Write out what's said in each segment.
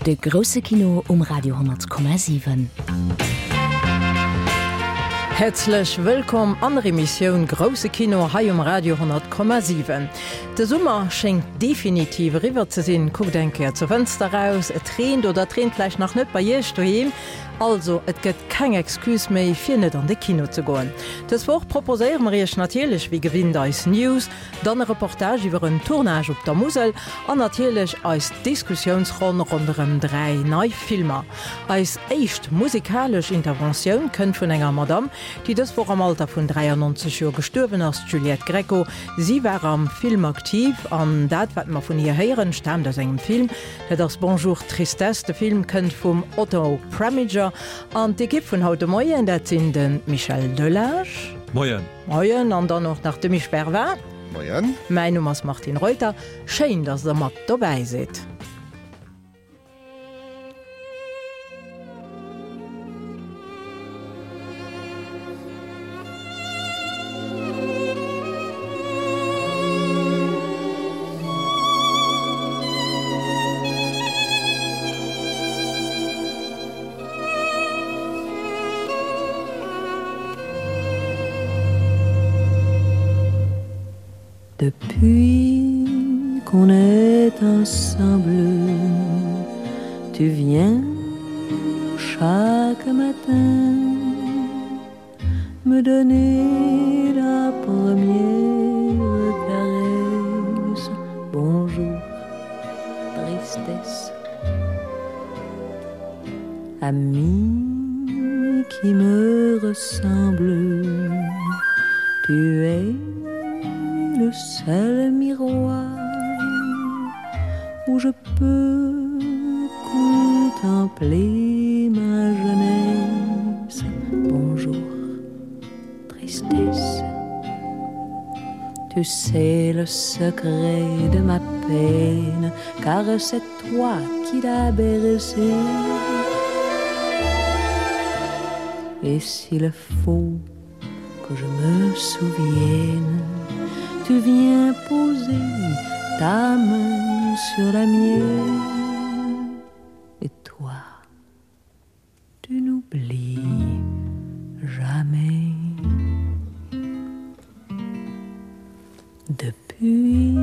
De grousse Kino um Radio 10,7. Häerzlech wëllkomm an der Emissioun Grousse Kino hei um Radio 10,7. De Summer schéngt definitiv eriwwer ze sinn. Kuckt eng Kéier zur Fënster raus, et reent oder et reent vläicht nach net bei Iech doheem. Also, et gëtt keng Excuse méi fir net an de Kino ze goen. Dës Woch proposéiere mer Iech natierlech wéi gewinnt eis News, Dann e Reportage iwwer en Tournage op der Musel an natierlech eis Diskussiounsronn ronderëm 3 nei Filmer. Eis éischt musikalesch Interventioun kënnt vun enger Madame, déi dës Woch am Alter vun 93 Joer gestuerwen ass, d'Juliette Gréco. Si war am Film aktiv an dat, wat mer vun hir héieren, staamt aus engem Film. Dat ass Bonjour Tristesse. De Film kënnt vum Otto Preminger an d'Ekipp vun haut de Moien, dat sinn de Michel Delage. Moien. Moien an dann och nach de Misch Bervin. Moien. Mäin Numm ass Martine Reuter. Schéin, dass der mat dobäi sidd. Depuis qu'on est ensemble, tu viens chaque matin me donner la première caresse. Bonjour, tristesse. Ami qui me ressemble, tu es le seul miroir où je peux contempler ma jeunesse. Bonjour, tristesse. Tu sais le secret de ma peine, car c'est toi qui l'as bercé. Et s'il faut que je me souvienne, tu viens poser ta main sur la mienne. Et toi, tu n'oublies jamais. Depuis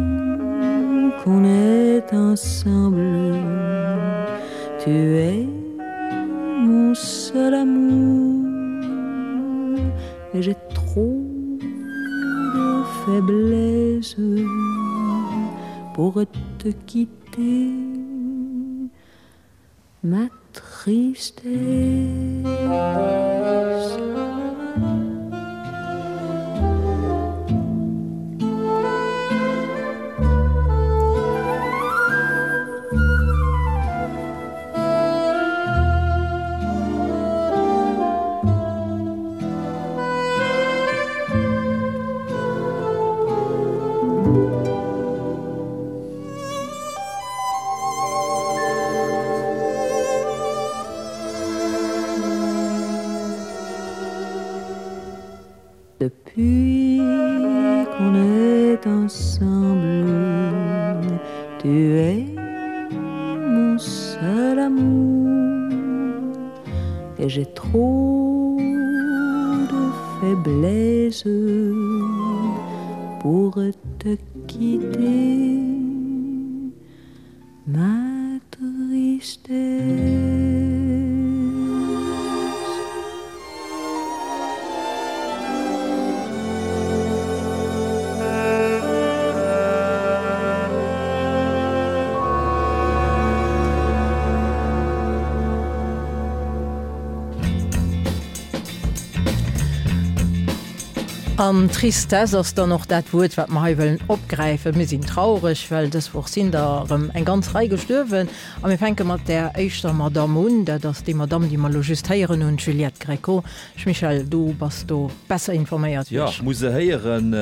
qu'on est ensemble, tu es mon seul amour et j'ai trop de faiblesse pour te quitter ma tristesse. Depuis qu'on est ensemble, tu es mon seul amour et j'ai trop de faiblesse pour te quitter ma tristesse. An Tristesse ass dann och dat Wuert, wat mer hei wëllen opgräifen. Mir sinn traureg, well dës Woch sinn der erëm eng ganz Rei gestuerwen. A mir fänke mat där éischter Madamm un. Dat ass déi Madamm, déi mer elo just héieren hunn, d'Juliette Gréco. Michel, du bass do besser informéiert wéi Jo, ech. muss se héieren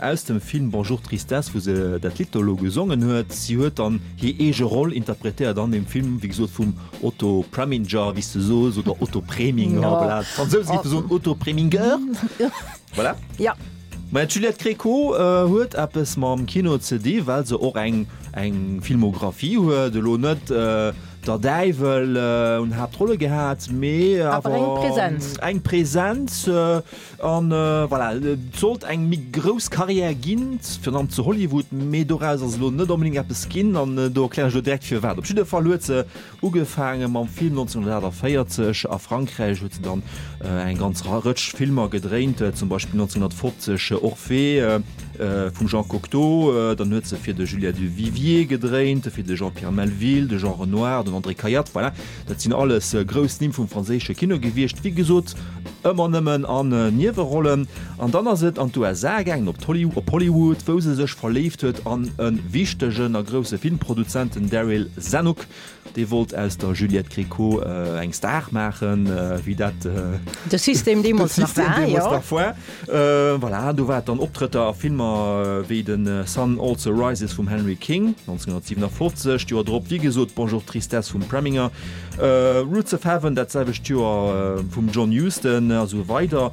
aus dem Film Bonjour Tristesse, wou se dat Lidd do elo gesongen huet. Si huet dann hir eege Roll interpretéiert an deem Film, wéi gesot vum Otto Preminger, wéi s de sos, oder Otto Preminger, voilà, d'Fransouse géife soen Otto Preminger, voilà. Ja. Maja, d'Juliette Gréco huet eppes mam Kino ze di, well se och eng eng Filmographie huet, elo net. Der Däiwel un Haaptrolle gehat, mee awer eng Präsenz. Eng Präsenz an voilà, et sollt eng méi grouss Karriär ginn, virun allem zu Hollywood, mee doraus ass elo net onbedéngt eppes ginn an do erklären ech elo direkt firwat. Op jidde Fall huet se ugefaange mam Film 1948 a Frankräich, huet se dann eng ganz Rëtsch Filmer gedréint, zum Beispill 1950 Orphée vum Jean Cocteau, dann huet se fir de Julien Duvivier gedréint, fir de Jean-Pierre Melville, de Jean Renoir, den André Cayatte, voilà, dat sinn alles grouss Nimm vum franséische Kino gewiescht, wéi gesot ëmmer nëmmen an Niewerollen. An dann ass et an d'USA gaangen, op op Hollywood, wou se sech verléift huet an e wichtegen a grousse Filmproduzent, den Daryl Zanuck. Dee wollt aus der Juliette Gréco eng Star maachen, wéi dat de System deemools nach war. Deemools nach war. Voilà, do war et dann Optrëtter a Filmer wéi de Sun Also Rises vum Henry King 1957, d'Joer drop wéi gesot Bonjour Tristesse vum Preminger, Roots of Heaven dat selwecht Joer vum John Huston a sou weider.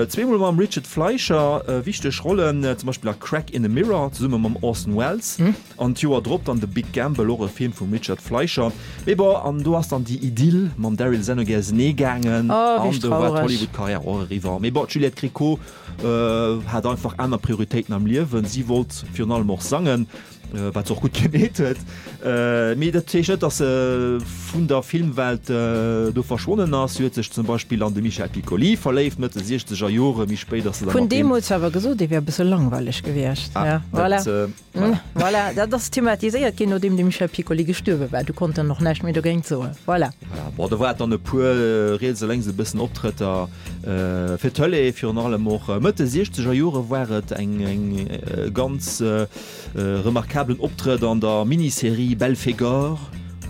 Zweemol mam Richard Fleischer wichteg Rollen, zum Beispill a Crack in a Mirror zesumme mam Orson Welles. An d'Joer drop dann The Big Gamble, och e Film vum Richard Fleischer. Mee bon, an do ass dann déi Idyll mam Daryl Zanuck ausenee gaangen an do war d'Hollywood-Karriär och eriwwer. Mee bon, d'Juliette Gréco hat einfach aner Prioritéiten am Liewen. Si wollt virun allem och sangen, wat se och gutt gemeet huet. Mee dat heescht net, datt se vun der Filmwelt do verschwonnen ass. Si huet sech zum Beispill an de Michel Piccoli verléift, Mëtt de siechzeger Jore. Méi spéit ass se da mat deem. Vun deemools awer gesot, dee wier e bësse langweileg gewiescht. Voilà. Voilà, dat ass thematiséiert ginn, nodeem de Michel Piccoli gestuerwe war. Du konnt en och näischt méi dogéint soen. Voilà. Voilà, bon, do war et dann e puer riets a lénks e bëssen Optrëtter fir d'Tëlee, virun allem och Mëtt de siechzeger Jore war et eng eng ganz remarkablen Optrëtt an der Miniserie Belphégor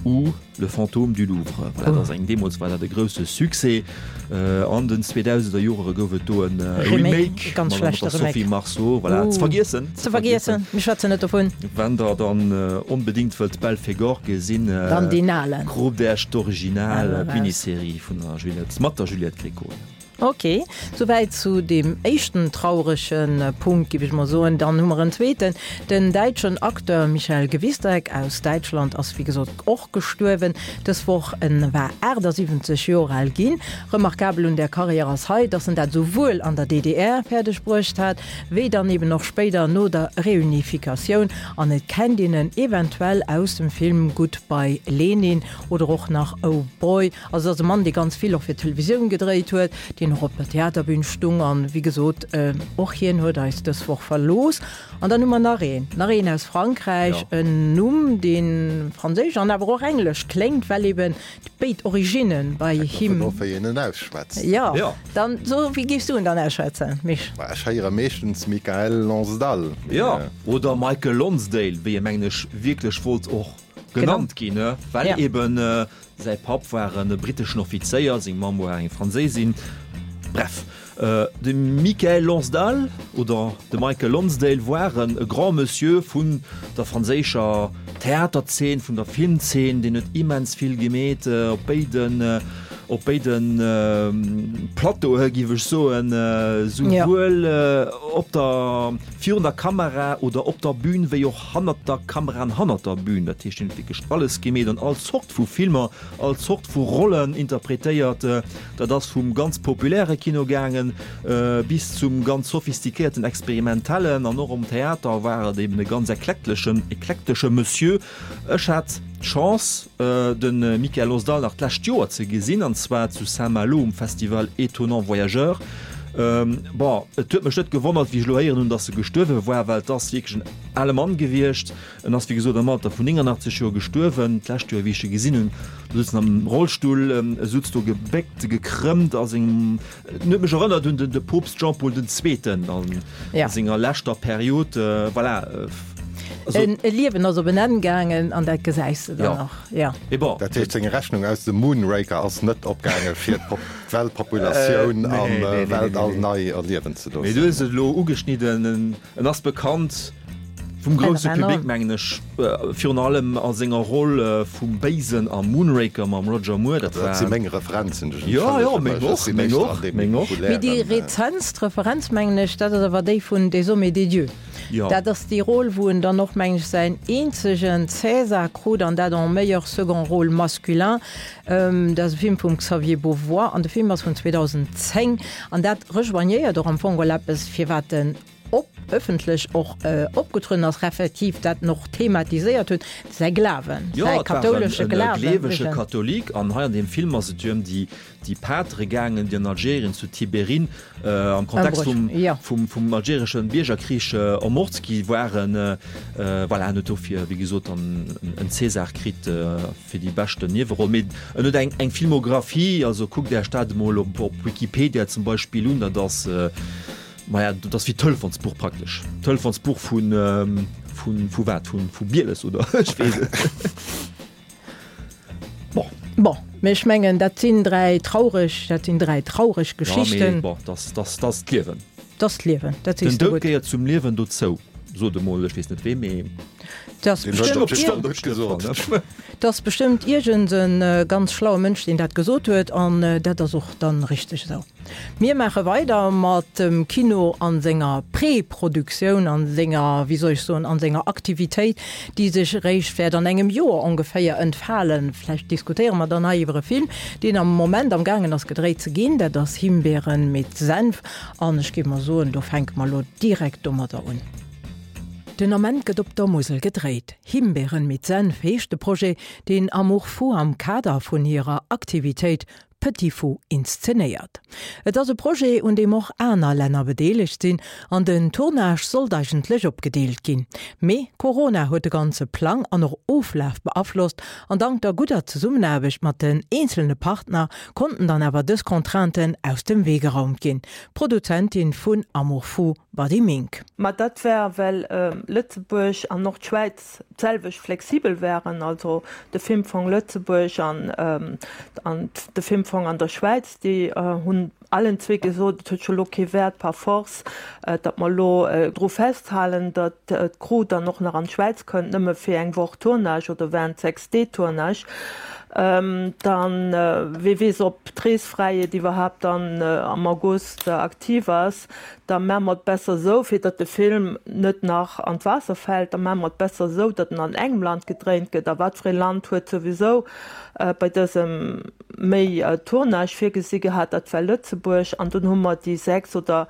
ou. Le fantôme du Louvre, voilà, dat ass eng, deemools war dat e grousse Succès. An den 2000er Jore gouf et do en Remake ganz mat der Sophie Marceau, voilà, ze vergiessen. Ze vergiessen, mir schwätzen net dovun. Wann der dann onbedéngt wëllt Belphégor gesinn, dann deen alen. Kroopt Äech d'Original, d'Miniserie vun der Juliette, mat der Juliette Gréco. Ok, souwäit zu deem éischten traurege Punkt, géif ech mol soen. Dann hu mer en zweeten. Den däitschen Acteur Michael Gwisdek aus Däitschland ass wéi gesot och gestuerwen dës Woch. En war 78 Joer al ginn. Remarkabel un där Karriär ass hei, dass en dat esouwuel an der DDR fäerdeg bruecht hat, wéi dann eben och spéider no der Reunificatioun. An et kennt een en eventuell aus dem Film Goodbye Lenin oder och nach Oh Boy. Also et ass e Mann, dee ganz vill och fir d'Televisioun gedréit huet, deen och op der Theaterbün stung an, wéi gesot, och hien huet eis dës Woch verlooss. An dann hu mer nach een, nach een aus Frankräich, en Numm, dee franséisch an awer och englesch kléngt, well eben béid Originne bei him. Hänkt dovun of, wéi een en ausschwätzt. Jo, dann so, wéi géifs du en dann ausschwätzen, Misch? Ma ech héiere meeschtens Michael Lonsdale. Jo, oder Michael Lonsdale, wéi e mengen ech wierklech wollt och genannt ginn, well eben Säi Papp war e britteschen Offizéier, seng Mamm war eng Franséisin. Bref, de Michael Lonsdale oder de Michael Lonsdale war e Grand Monsieur vun der franséischer Theaterzeen, vun der Filmzeen, deen huet immens vill gemeet op béiden, op béiden Plateaue géif ech soen, souwuel op der, virun der Kamera oder op der Bün wéi och hannert der Kamera an hannert der Bühn. Dat heescht, hien huet wierklech alles gemeet an all Zort vu Filmer, all Zort vu Rollen interpretéiert. Dat ass vum ganz populäre Kino gaangen bis zum ganz sophistiquéierten experimentellen an och am Theater war et eben e ganz eklektlechen, eklektesche Monsieur. Ech hat d'Chance, de Michael Lonsdale nach d'lescht Joer ze gesinn, an zwar zu Saint-Malo um Festival Étonnants Voyageurs. Bon, et huet mech net gewonnert, wéi ech elo héieren hunn, datt e gestuerwe war, well et ass wierklech en ale Mann gewiescht. En ass, wéi gesot, am Alter vun 89 Joer gestuerwen. D'lescht Joer, wéi ech e gesinn hunn, do sutz en am Rollstull, e sutz do gebéckt, gekrëmmt a sengem, en huet mech erënnert un de Poopst Jean-Paul den Zweeten a senger leschter Period. Voilà. Also, e Liewen ass op en Enn gaangen an dat gesäis de dann och. Ja. Mee bon. Dat heescht, seng Rechnung aus dem Moonraker ass net opgaange fir d'Weltpopulatioun am Weltall nei erliewen ze loossen. Mee du hues et elo ugeschnidden, en ass bekannt. Vum grousse Public mengen ech, virun allem a senger Roll vum Béisen am Moonraker mam Roger Moore. Dat war. Dat si meng Referenzen, ech Jo, jo, meng och, meng och, meng och. Mee déi rezentst Referenz, mengen ech, dat ass awer déi vun Des hommes et des dieux. Jo. Dat ass déi Roll, wou en dann och, mengen ech, säin eenzegen César krut, an dat en meilleur second rôle masculin. Dat ass e Film vum Xavier Beauvois an de Film ass vun 2010. An dat rejoignéiert och am Fong geholl eppes, firwat en op ëffentlech och opgetrueden ass, respektiv dat en och thematiséiert huet, säi Glawen, Jo, säi et war en kathoulesche Glawen. gleewege Katholik an hei an deem Film ass et jo ëm déi déi Patere gaangen, déi an Algerien zu Tibérin am Kontext vum vum vum algereschen Biergerkrich ermort gi waren. Voilà, en huet dofir, wéi gesot, dann en César kritt fir déi beschten Nieweroll. Mee en huet eng eng Filmographie, also kuckt Äech dat emol op op Wikipedia zum Beispill un, dat ass, Maja, dat ass wéi d'Telefonsbuch praktesch. D'Telefonsbuch vun, vun, vu wat? Vun, vu Bieles oder ech weess et net. Bon. Bon, mee ech mengen, dat sinn dräi traureg, dat sinn dräi traureg Geschichten. Ja, mee bon, dat, dat, dat ass d'Liewen. Dat ass d'Liewen, dat sees de Den Doud gutt. gehéiert zum Liewen dozou, sot emol ech weess net wee, mee. Dat ass Deen huet bestëmmt dat bestimmt net gesot. Dat ass bestëmmt iergend e ganz schlaue Mënsch, deen dat gesot huet, an dat ass och dann richteg esou. Mir maache weider mat dem Kino an senger Preproduktioun, an senger, wéi soll ech soen, an senger Aktivitéit, déi sech eréischt wäert an engem Joer ongeféier entfalen. Vläicht diskutéiere mer dann hei iwwer e Film, deen am Moment am gaangen ass gedréit ze ginn. Dat ass Himbeeren mit Senf. An ech géif mol soen, do fänke mer elo direkt domadder un. Den Ament gëtt op der Musel gedréit. Himbeeren mit Senf heescht de Projet, deen Amour Fou am Kader vun hirer Aktivitéit Petit Fou inszenéiert. Et ass e Projet, un deem och aner Länner bedeelegt sinn an den Tournage sollt eigentlech opgedeelt ginn. Mee Corona huet de ganze Plang an och Oflaf beaflosst an dank der gudder Zesummenaarbecht mat den eenzelne Partner konnten dann awer dës Contrainten aus dem Wee geraumt ginn. D'Produzentin vun Amour Fou, Buddy Mink. Mä dat war, well Lëtzebuerg an och d'Schwäiz d'selwecht flexibel waren, also de Filmfong Lëtzebuerg an an de Filmfong an der Schwäiz, déi hunn allen zwee gesot, et huet scho lo kee Wäert par force, datt mer elo dru festhalen, datt d'Crew dann och nach an d'Schwäiz kënnt, nëmme fir eng Woch Tournage oder während 6 Dee Tournage. Dann, wee weess, ob d'Reesfräiheet iwwerhaapt dann am August aktiv ass. Da maache mer et besser esou, fir datt de Film net nach an d'Waasser fält, da maache mer et besser esou, datt en an engem Land gedréint gëtt. A wat fir ee Land huet souwisou bei dësem méi Tournage virgesi gehat? Dat war Lëtzebuerg. An dunn hu mer déi 6 oder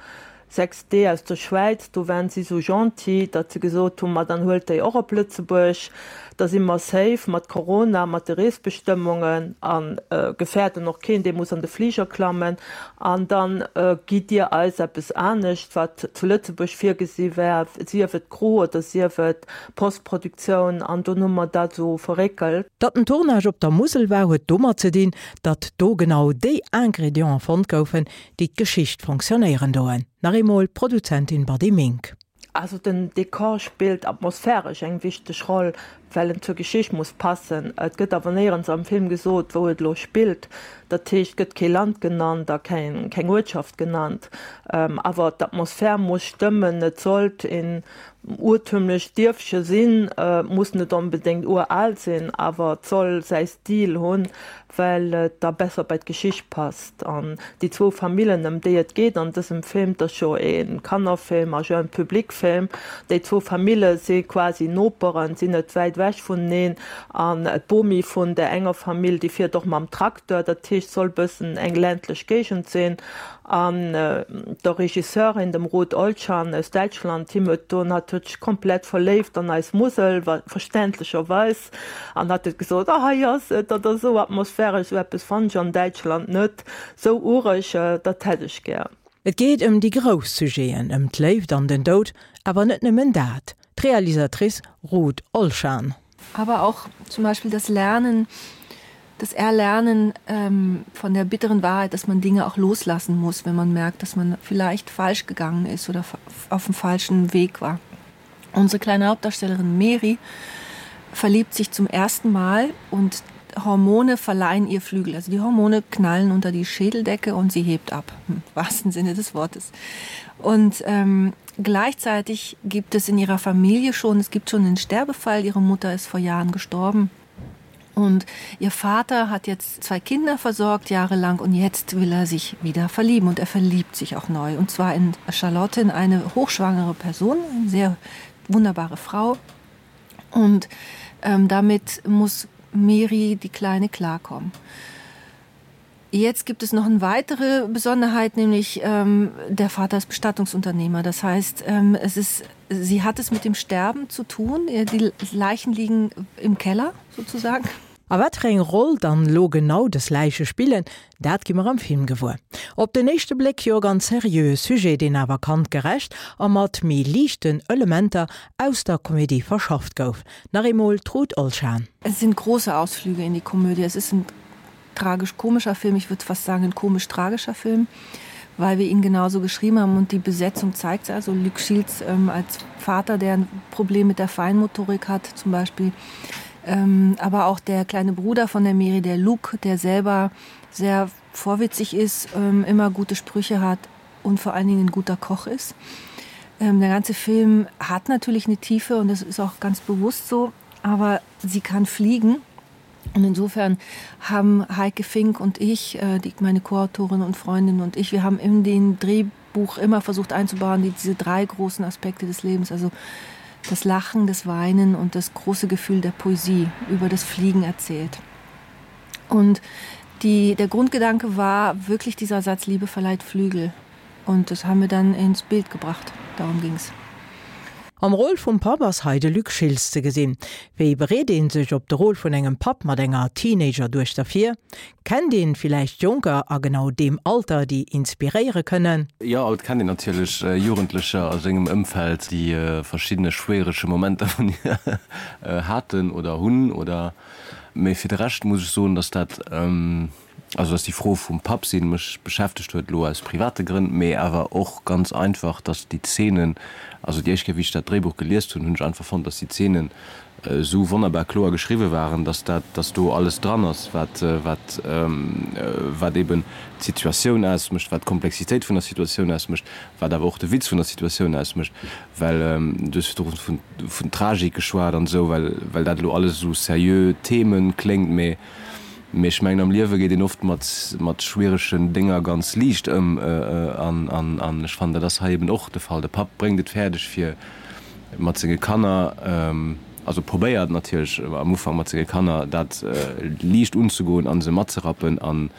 6 D aus der Schwäiz, do waren si esou gentil, datt se gesot hunn, ma dann huelt déi och op Lëtzebuerg. Da si mer safe mat Corona, mat de Reesbestëmmungen a gefäerden och keen, dee muss an de Fliger klammen. An da gitt Dir eis eppes anescht, wat zu Lëtzebuerg virgesi war, sief et Crew oder sief et Postproduktioun. An dunn hu mer dat esou verréckelt. Datt den Tournage op der Musel war, huet domat ze dinn, datt do genau déi Ingredienten fonnt goufen, déi d'Geschicht fonctionnéieren doen. Nach eemol d'Produzentin Buddy Mink. Also den Dekor spillt atmosphäresch eng wichteg Roll, well en zur Geschicht muss passen. Et gëtt awer néierens am Film gesot, wou et elo spillt. Dat heescht, et gëtt kee Land genannt a keng Uertschaft genannt. Awer d'Atmosphär muss stëmmen. Et sollt een urtümlecht Dierfche sinn, muss net onbedéngt ural sinn, awer et soll säi Stil hunn, well et da besser bei d'Geschicht passt. An déi zwou Famillen, ëm déi et geet an dësem Film, 't ass jo e Kannerfilm a Jeune Public Film, déi zwou Famille si quasi Noperen, sinn net wäit ewech vuneneen. An d'Bomi vun där enger Famill, déi fiert och mam Tracteur, dat heescht, soll bëssen eng ländlech Géigend sinn. An der Regisseurin, dem Ruth Olchan aus Däitschland, him huet don, hatt huet sech komplett verléift an eis Musel, verständlecherweis. An hat huet gesot, oh hei ass et, dat ass esou atmosphäresch, esou eppes fannen ech an Däitschland net, esou ureg, dat hätt ech gär. Et geet ëm déi grouss Sujeten, ëm d'Léift an den Doud, awer net nëmmen dat. D'Realisatrice Ruth Olshan. Aber auch zum Beispiel das Lernen, das Erlernen ähm, von der bitteren Wahrheit, dass man Dinge auch loslassen muss, wenn man merkt, dass man vielleicht falsch gegangen ist oder auf dem falschen Weg war. Unsere kleine Hauptdarstellerin Mary verliebt sich zum ersten Mal und. Hormone verleihen ihr Flügel. Also die Hormone knallen unter die Schädeldecke und sie hebt ab, im wahrsten Sinne des Wortes. Und ähm, gleichzeitig gibt es in ihrer Familie schon, es gibt schon einen Sterbefall, ihre Mutter ist vor Jahren gestorben. Und ihr Vater hat jetzt zwei Kinder versorgt jahrelang und jetzt will er sich wieder verlieben und er verliebt sich auch neu und zwar in Charlotte in eine hochschwangere Person, eine sehr wunderbare Frau. Und ähm, damit muss Mary die Kleine klarkommen. Jetzt gibt es noch eine weitere Besonderheit, nämlich ähm, der Vater ist Bestattungsunternehmer. Das heißt, ähm, es ist, sie hat es mit dem Sterben zu tun. Die Leichen liegen im Keller sozusagen. A wat fir eng Roll dann elo genau des Läiche spillen, dat gi mer am Film gewuer. Op den éischte Bléck jo e ganz seriöe Sujet, deen awer kandgerecht a mat méi liichten Elementer aus der Komedie verschafft gouf. Nach eemol d'Ruth Olshan. Es sind große Ausflüge in die Komödie. Es ist ein tragisch-komischer Film, ich würde fast sagen ein komisch-tragischer Film, weil wir ihn genauso geschrieben haben und die Besetzung zeigt es also Luc Shields ähm, als Vater, der ein Problem mit der Feinmotorik hat zum Beispiel. Ähm, aber auch der kleine Bruder von der Mary, der Luke, der selber sehr vorwitzig ist, ähm, immer gute Sprüche hat und vor allen Dingen ein guter Koch ist. Ähm, der ganze Film hat natürlich eine Tiefe und das ist auch ganz bewusst so, aber sie kann fliegen. Und insofern haben Heike Fink und ich, äh, die, meine Co-Autorin und Freundin und ich, wir haben in den Drehbuch immer versucht einzubauen, die, diese drei großen Aspekte des Lebens, also das Lachen, das Weinen und das große Gefühl der Poesie über das Fliegen erzählt. Und die, der Grundgedanke war wirklich dieser Satz Liebe verleiht Flügel. Und das haben wir dann ins Bild gebracht. Darum ging es. Am Rôle vum Papp ass hei de Luc Schiltz ze gesinn. Wéi bereet een sech op de Rôle vun engem Papp mat enger Teenager-Duechter vir? Kennt een villäicht Jonker a genau deem Alter, déi inspiréiere kënnen? Jo, et kennt een natierlech Jugendlecher a sengem Ëmfeld, déi verschiddene schwierege Momenter vun hir haten oder hunn oder, mee fir de Rescht muss ech soen, dass dat, Also dass déi Fro vum Papp sinn mech beschäftegt huet, elo aus private Grënn, mee awer och ganz einfach, dass déi Zeenen, also déi éischt Kéier wéi ech dat Dréibuch geliest hunn, hunn ech einfach fonnt, dass déi Zeenen esou wonnerbar kloer geschriwwe waren, dass dat, dass do alles dran ass, wat, wat, wat eben d'Situatioun ausmécht, wat d'Komplexitéit vun der Situatioun ausmécht, wat awer och de Witz vun der Situatioun ausmécht, well du hues virdru vun, vun Tragik geschwat an esou, well, well dat elo alles esou seriö Themen kléngt, mee Mee ech mengen, am Liewe geet een oft mat, mat schwieregen Dénger ganz liicht ëm. An, an, an ech fannen, dat ass hei eben och de Fall. De Papp bréngt et fäerdeg, fir mat senge Kanner, also probéiert natierlech am Ufank mat senge Kanner dat liicht unzegoen a se matzerappen an,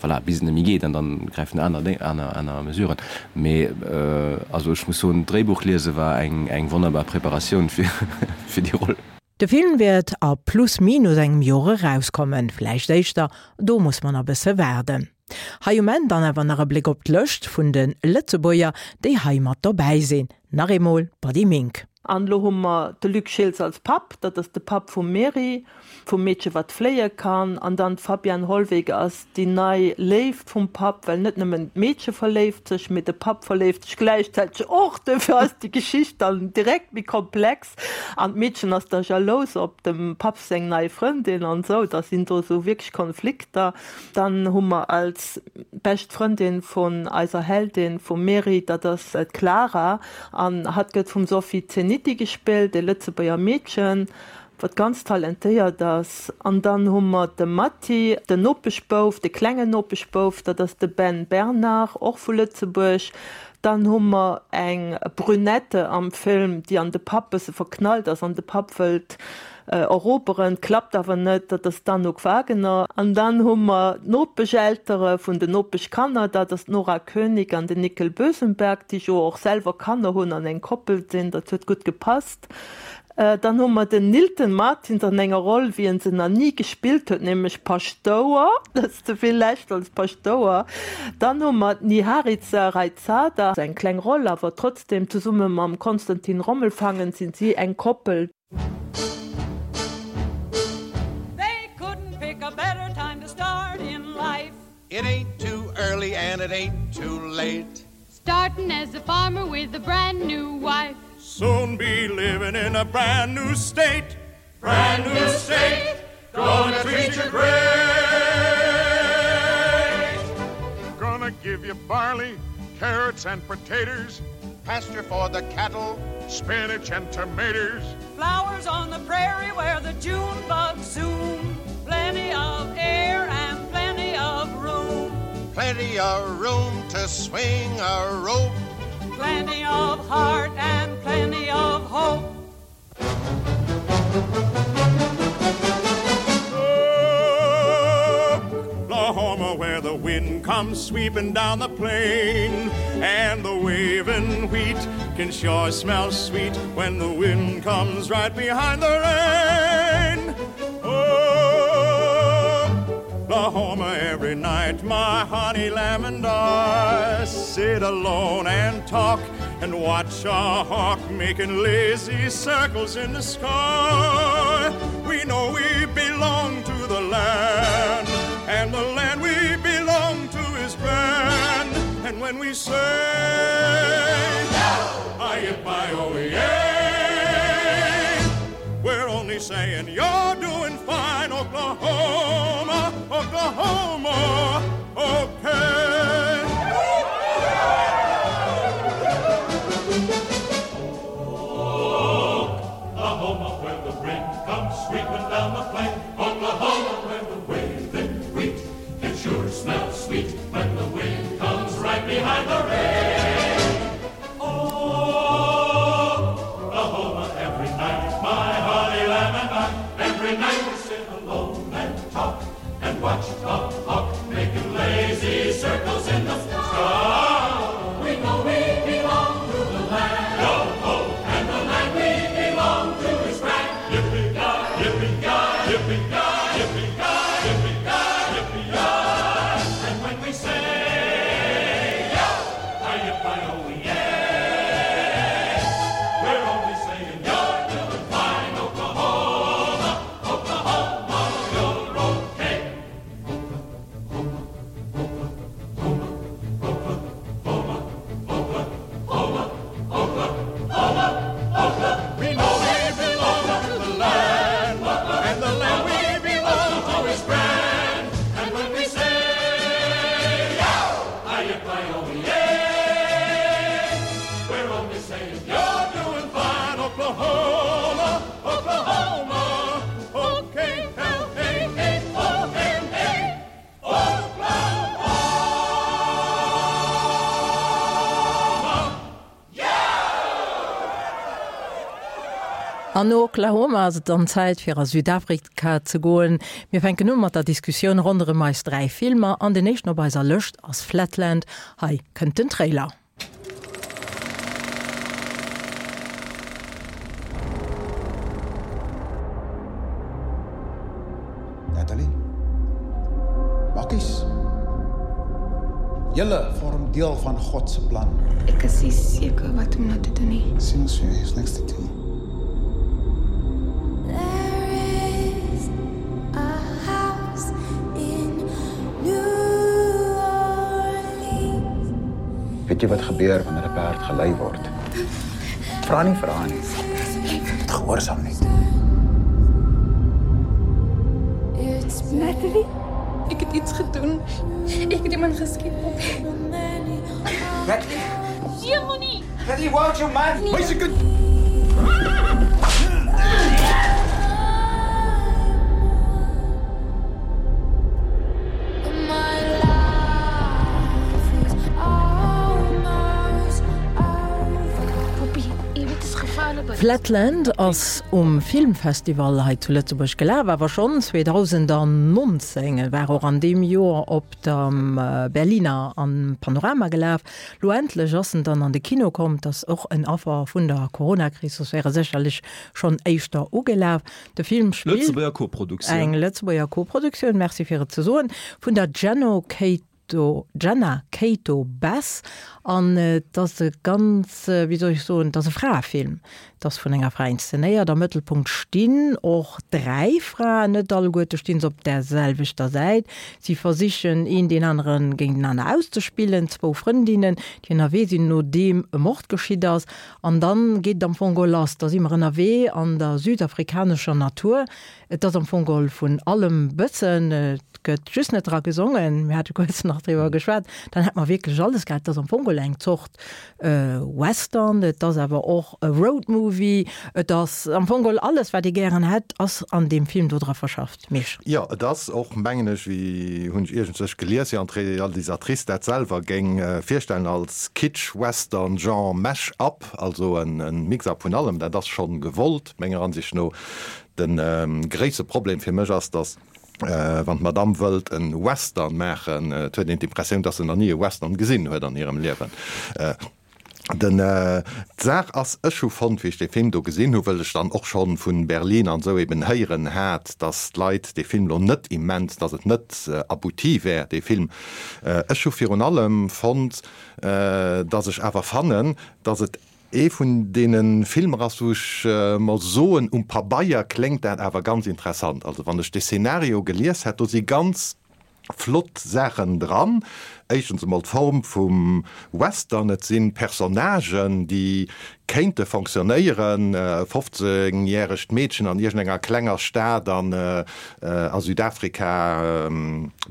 voilà, bis et net méi geet an dann gräifen aner Déng, aner, aner Mesuren. Mee also ech muss soen, d'Dréibuch liese war eng, eng wonnerbar Preparatioun fir, fir déi Roll. De Film wäert a plus minus engem Joer erauskommen, vläicht éischter, do muss mer nach bësse waarden. Hei um Enn dann awer nach e Bléck op d'Lëscht vun de Lëtzebuerger, déi hei mat dobäi sinn. Nach eemol Buddy Mink. An elo hu mer de Luc Schiltz als Papp, dat ass de Papp vum Mary, vum Meedche wat fléie kann. An dann d'Fabienne Hollweg ass déi nei Léift vum Papp, well net nëmmen d'Meedche verléift sech, mee de Papp verléift sech gläichzäiteg och. Duerfir ass déi Geschicht dann direkt méi komplex. An d'Meedchen ass da jalous op dem Papp seng nei Frëndin an esou. Da sinn do esou wierklech Konflikter. Dann hu mer als bescht Frëndin vun eiser Heldin, vum Mary, dat ass d'Clara. An hatt gëtt vum Sophie Zeniti gespillt, e Lëtzebuerger Meedchen, wat ganz talentéiert ass. An dann hu mer de Matti, den Nopeschbouf, de klengen Nopeschbouf, dat ass de Ben Bernard, och vu Lëtzebuerg. Dann hu mer eng Brünette am Film, déi an de Papp bësse verknallt ass an de Papp wëllt eroberen, klappt awer net, dat ass d'Anouk Wagener. An dann hu mer d'Nopescheltere vun den Nopeschkanner, dat ass d'Nora Koenig an den Nickel Bösenberg, déi jo och selwer Kanner hunn an eng Koppel sinn, dat huet gutt gepasst. Dann hu mer den Nilton Martins an enger Roll, wéi en se nach ni gespillt huet, nämlech Paschtouer. Dat ass ze vill echt als Paschtouer. Dann hu mer d'Niharica Raizada, eng kleng Roll, awer trotzdem, zesumme mam Konstantin Rommelfangen sinn si eng Koppel. They couldn't pick a better time to start in life. It ain't too early and it ain't too late. Starting as a farmer with a brand new wife. Soon be living in a brand new state. Brand new state. Gonna treat you great. Gonna give you barley, carrots and potatoes, pasture for the cattle, spinach and tomatoes. Flowers on the prairie where the June bugs zoom, plenty of air and plenty of room. Plenty of room to swing a rope. Plenty of heart and plenty of hope. Oklahoma, where the wind comes sweeping down the plain, and the waving wheat can sure smell sweet when the wind comes right behind the rain. Oklahoma, every night my honey lamb and I sit alone and talk and watch a hawk making lazy circles in the sky. We know we belong to the land, and the land we belong to is grand. And when we say, I-I-O-E-A, we're only saying you're doing fine, Oklahoma, Oklahoma, okay. Oklahoma, where the wind comes sweeping down the plain, Oklahoma, where the waving wheat can sure smell sweet when the wind comes right behind the rain. Oklahoma, every night, my honey lamb and I, every night we sit alone and talk and watch the hawk making lazy circles in the sky. We know we belong to the land, Yo-ho! And the land we belong to is grand. Yippee-yi, yippee-yi, yippee-yi, yippee-yi, yippee-yi, yippee-yi. And when we say, yo, hi-yippee-oh-yay, we're only saying you're doing fine, Oklahoma, Oklahoma, you're okay. We know we belong to the land, and the land we belong to is grand. And when we say, yo, hi-yippee-oh-yay, we're only saying you're doing fine, Oklahoma, Oklahoma, O-K-L-A-H-O-M-A, Oklahoma. An no Oklahoma ass et dann Zäit fir a Südafrika ze goen. Mir fänken u mat der Diskussioun ronderëm eis 3 Filmer an den éischten op eiser Lëscht ass Flatland. Hei kënnt den Trailer. Natalie? Bakkies? Julle vorm deel van God se plan. Ek is nie seker wat om nou te doen nie. Sien ons vir jou, is niks te doen nie. There is a house in New Orleans. Weet jy wat gebeur wanneer 'n perd gelei word? Vra nie vra nie. Asseblief. Gehoorsaam net. Natalie, ek het iets gedoen. Ek het iemand geskiet. Natalie? Nee, moenie. Natalie, watch your man. Nee. Wys ek het Poppy, jy weet dit is gevaarlik. Flatland ass um Filmfestival hei zu Lëtzebuerg gelaf, awer schonn 2019. E war och an deem Joer op dem Berliner am Panorama gelaf. Lo endlech ass en dann an de Kino komm. 't ass och en Affer vun der Coronakris, soss wär e sécherlech schonn éischter ugelaf. De Film spillt. Lëtzebuerger Koproduktioun. Eng Lëtzebuerger Koproduktioun, merci fir et ze soen, vun der Jenno Kate. Kato, Jenna Cato Bass an et ass e ganz, wéi soll ech soen, et ass e Fraefilm. Et ass vun enger Fra inszenéiert. Am Mëttelpunkt stinn och 3 Fraen, net alleguerte stinn se op där selwechter Säit. Si versichen een deen anere géintenaner auszespillen, zwou Frëndinnen, déi ënnerwee sinn, nodeem e Mord geschitt ass. An dann geet et am Fong geholl lass. Da si mer ënnerwee an der südafrikanescher Natur. Et ass am Fong geholl vun allem bëssen. Et gëtt just net dra gesongen. Mir hate kuerz nach driwwer geschwat. Dann hätt mer wierklech alles gehat. Et ass am Fong geholl eng Zort Western. Et ass awer och e Roadmovie. Et ass am Fong geholl alles, wat ee gären hätt, ass an deem Film do dra verschafft. Misch. Jo, et ass och, mengen ech, wéi hunn ech iergendswech gelies, jo, an d'Realisatrice dat selwer géing virstellen als Kitsch-Western-Genre Mash-up, also e Mix-up vun allem. Dat ass schonn gewollt, menger Ansicht no. De gréisste Problem fir mech ass, datt wann d'Madame wëllt e Western maachen, et huet een d'Impressioun, datt se nach ni e Western gesinn huet an hirem Liewen. Den, d'Saach ass, ech hu fonnt, wéi ech dee Film do gesinn hu, wëll ech dann och scho vu Berlin an esou eben héieren hat, datt d'Leit dee Film lo net immens, datt et net abouti wär, dee Film. Ech hu virun allem fonnt, datt ech awer fannen, datt et Ee vun deene Filmer ass, wou ech mer soen, um Pabeier kléngt dat awer ganz interessant. Also wann ech de Szenario gelies hätt, do si ganz flott Saachen dran. Éischtens emol d'Form vum Western, et si Personnagen, déi kéinte fonctionnéieren, e 15 järegt Meedchen an iergendenger klenger Stad an a Südafrika,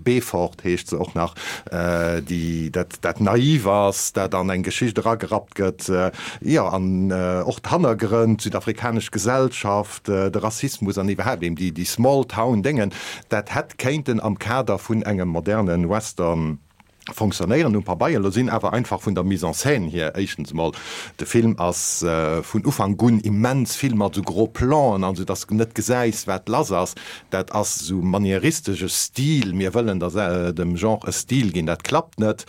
Beaufort heescht se och nach, déi dat dat naiv ass, dat an eng Geschicht eragerappt gëtt, jo, an och d'Hannergrënn, d'südafrikanesch Gesellschaft, de Rassismus an iwwerhaapt eben déi déi Small Town Déngen, dat hätt kéinten am Kader vun engem moderne Western fonctionnéieren um Pabeier. Elo sinn awer einfach vun der Mise en scène hier éischtens emol, de Film ass vun Ufank un immens vill mat esou gros Plan'en an esou, dass de net gesäis wat lass ass. Dat ass esou maniéristesche Stil, mir wëllen der dem Genre e Stil ginn, dat klappt net.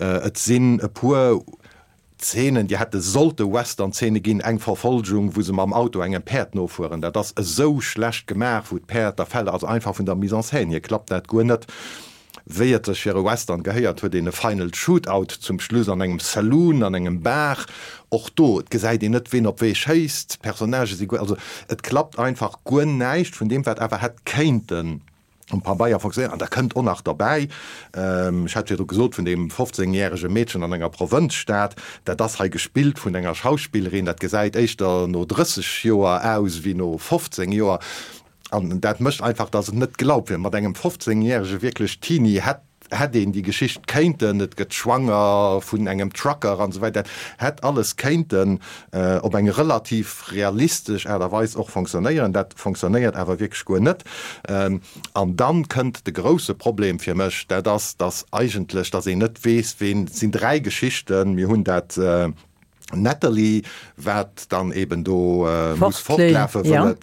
Et sinn e puer Zeenen, déi hätte sollte Western-Zeene ginn, eng Verfolgung, wou se mam Auto engem Päerd nofueren, dat ass esou schlecht gemaach, wou d'Päerd da fält, also einfach vun der Mise en scène hier klappt dat guer net. Wéi et sech fir e Western gehéiert, huet een e Final Shootout zum Schluss an engem Saloon, an engem Bar. Och do, et gesäit een net, ween op wee schéisst, d'Personnagë si guer, also et klappt einfach guer näischt vun deem, wat awer hätt kéinten um Pabeier fonctionnéieren. An da kënnt och nach derbäi, ech hat virdru gesot vun deem 15 järege Meedchen an enger Provënzstad, dat ass hei gespillt vun enger Schauspillerin, dat gesäit éischter no 30 Joer aus wéi no 15 Joer. An dat mécht einfach, datt et net glaubwürd, mat engem 15 järege wierklech Teenie hätt hätt een déi Geschicht kéinten, et gëtt schwanger vun engem Trucker an esou weider, hätt alles kéinten op eng relativ realistesch Aart a Weis och fonctionnéieren. Dat fonctionnéiert awer wierklech guer net. An dann kënnt de grousse Problem fir mech, dat ass, dass eigentlech, dass een net weess, ween, et sinn 3 Geschichten, mir hunn dat Natalie, wat dann eben do muss fortlafen, wëll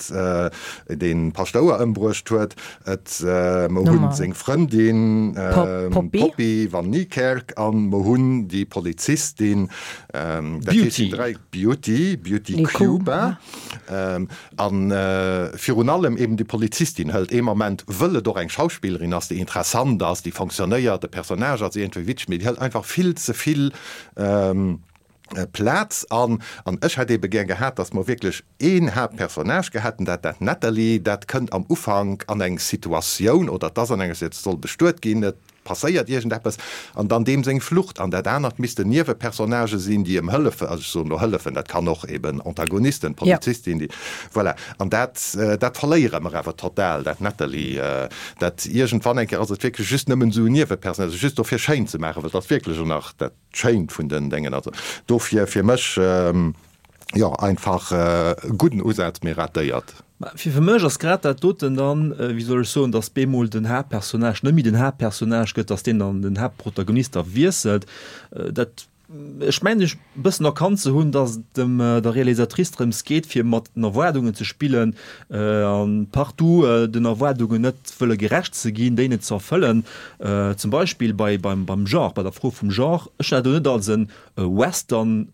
et dee Paschtouer ëmbruecht huet. Et mer hunn seng Frëndin Poppy van Niekerk an mer hunn déi Polizistin, dat heescht déi 3, Beauty, Beauty Cuba. A virun allem eben déi Polizistin hëlt ee Moment, wëll et och eng Schauspillerin ass, déi interessant ass, déi fonctionnéiert, de Personnage ass iergendwéi witzeg, mee déi hëlt einfach vill ze vill Plaz an. An ech hätt ebe gär gehat, datt mer wierklech een Haaptpersonnage gehat hätten, dat dat Natalie, dat kënnt am Ufank an eng Situatioun, oder et ass an enger Situatioun, et soll bestuet ginn, et passéiert iergendeppes, an dann deem seng Flucht. An dat anert missten Niewepersonnagë sinn, déi em hëllefen, also ech soen elo hëllefen, dat kann och eben Antagonisten, Polizistin, déi, voilà. An dat, dat verléiere mer awer total, dat Natalie, dat iergendwann eng Kéier ass et wierklech just nëmmen esou en Niewepersonnage, just dofir schéin ze maachen, well et ass wierklech och nach dat Schéint vun den Déngen. Also dofir fir mech, jo, einfach e gudden Usaz, mee ratéiert. Mä fir mech ass grad dat doten dann, wéi soll ech soen, datt bemol den Haaptpersonnage net méi den Haaptpersonnage gëtt, datt deen dann den Haaptprotagonist da wiesselt, dat, ech mengen ech e bëssen erkannt ze hunn, datt et dem der Realisatrice drëms geet, fir mat den Erwaardungen ze spillen an partout den Erwaardungen net wëlle gerecht ze ginn, déi net ze erfëllen. Zum Beispill bei beim beim Genre, bei der Fro vum Genre. Ech hunn dat elo net als e Western.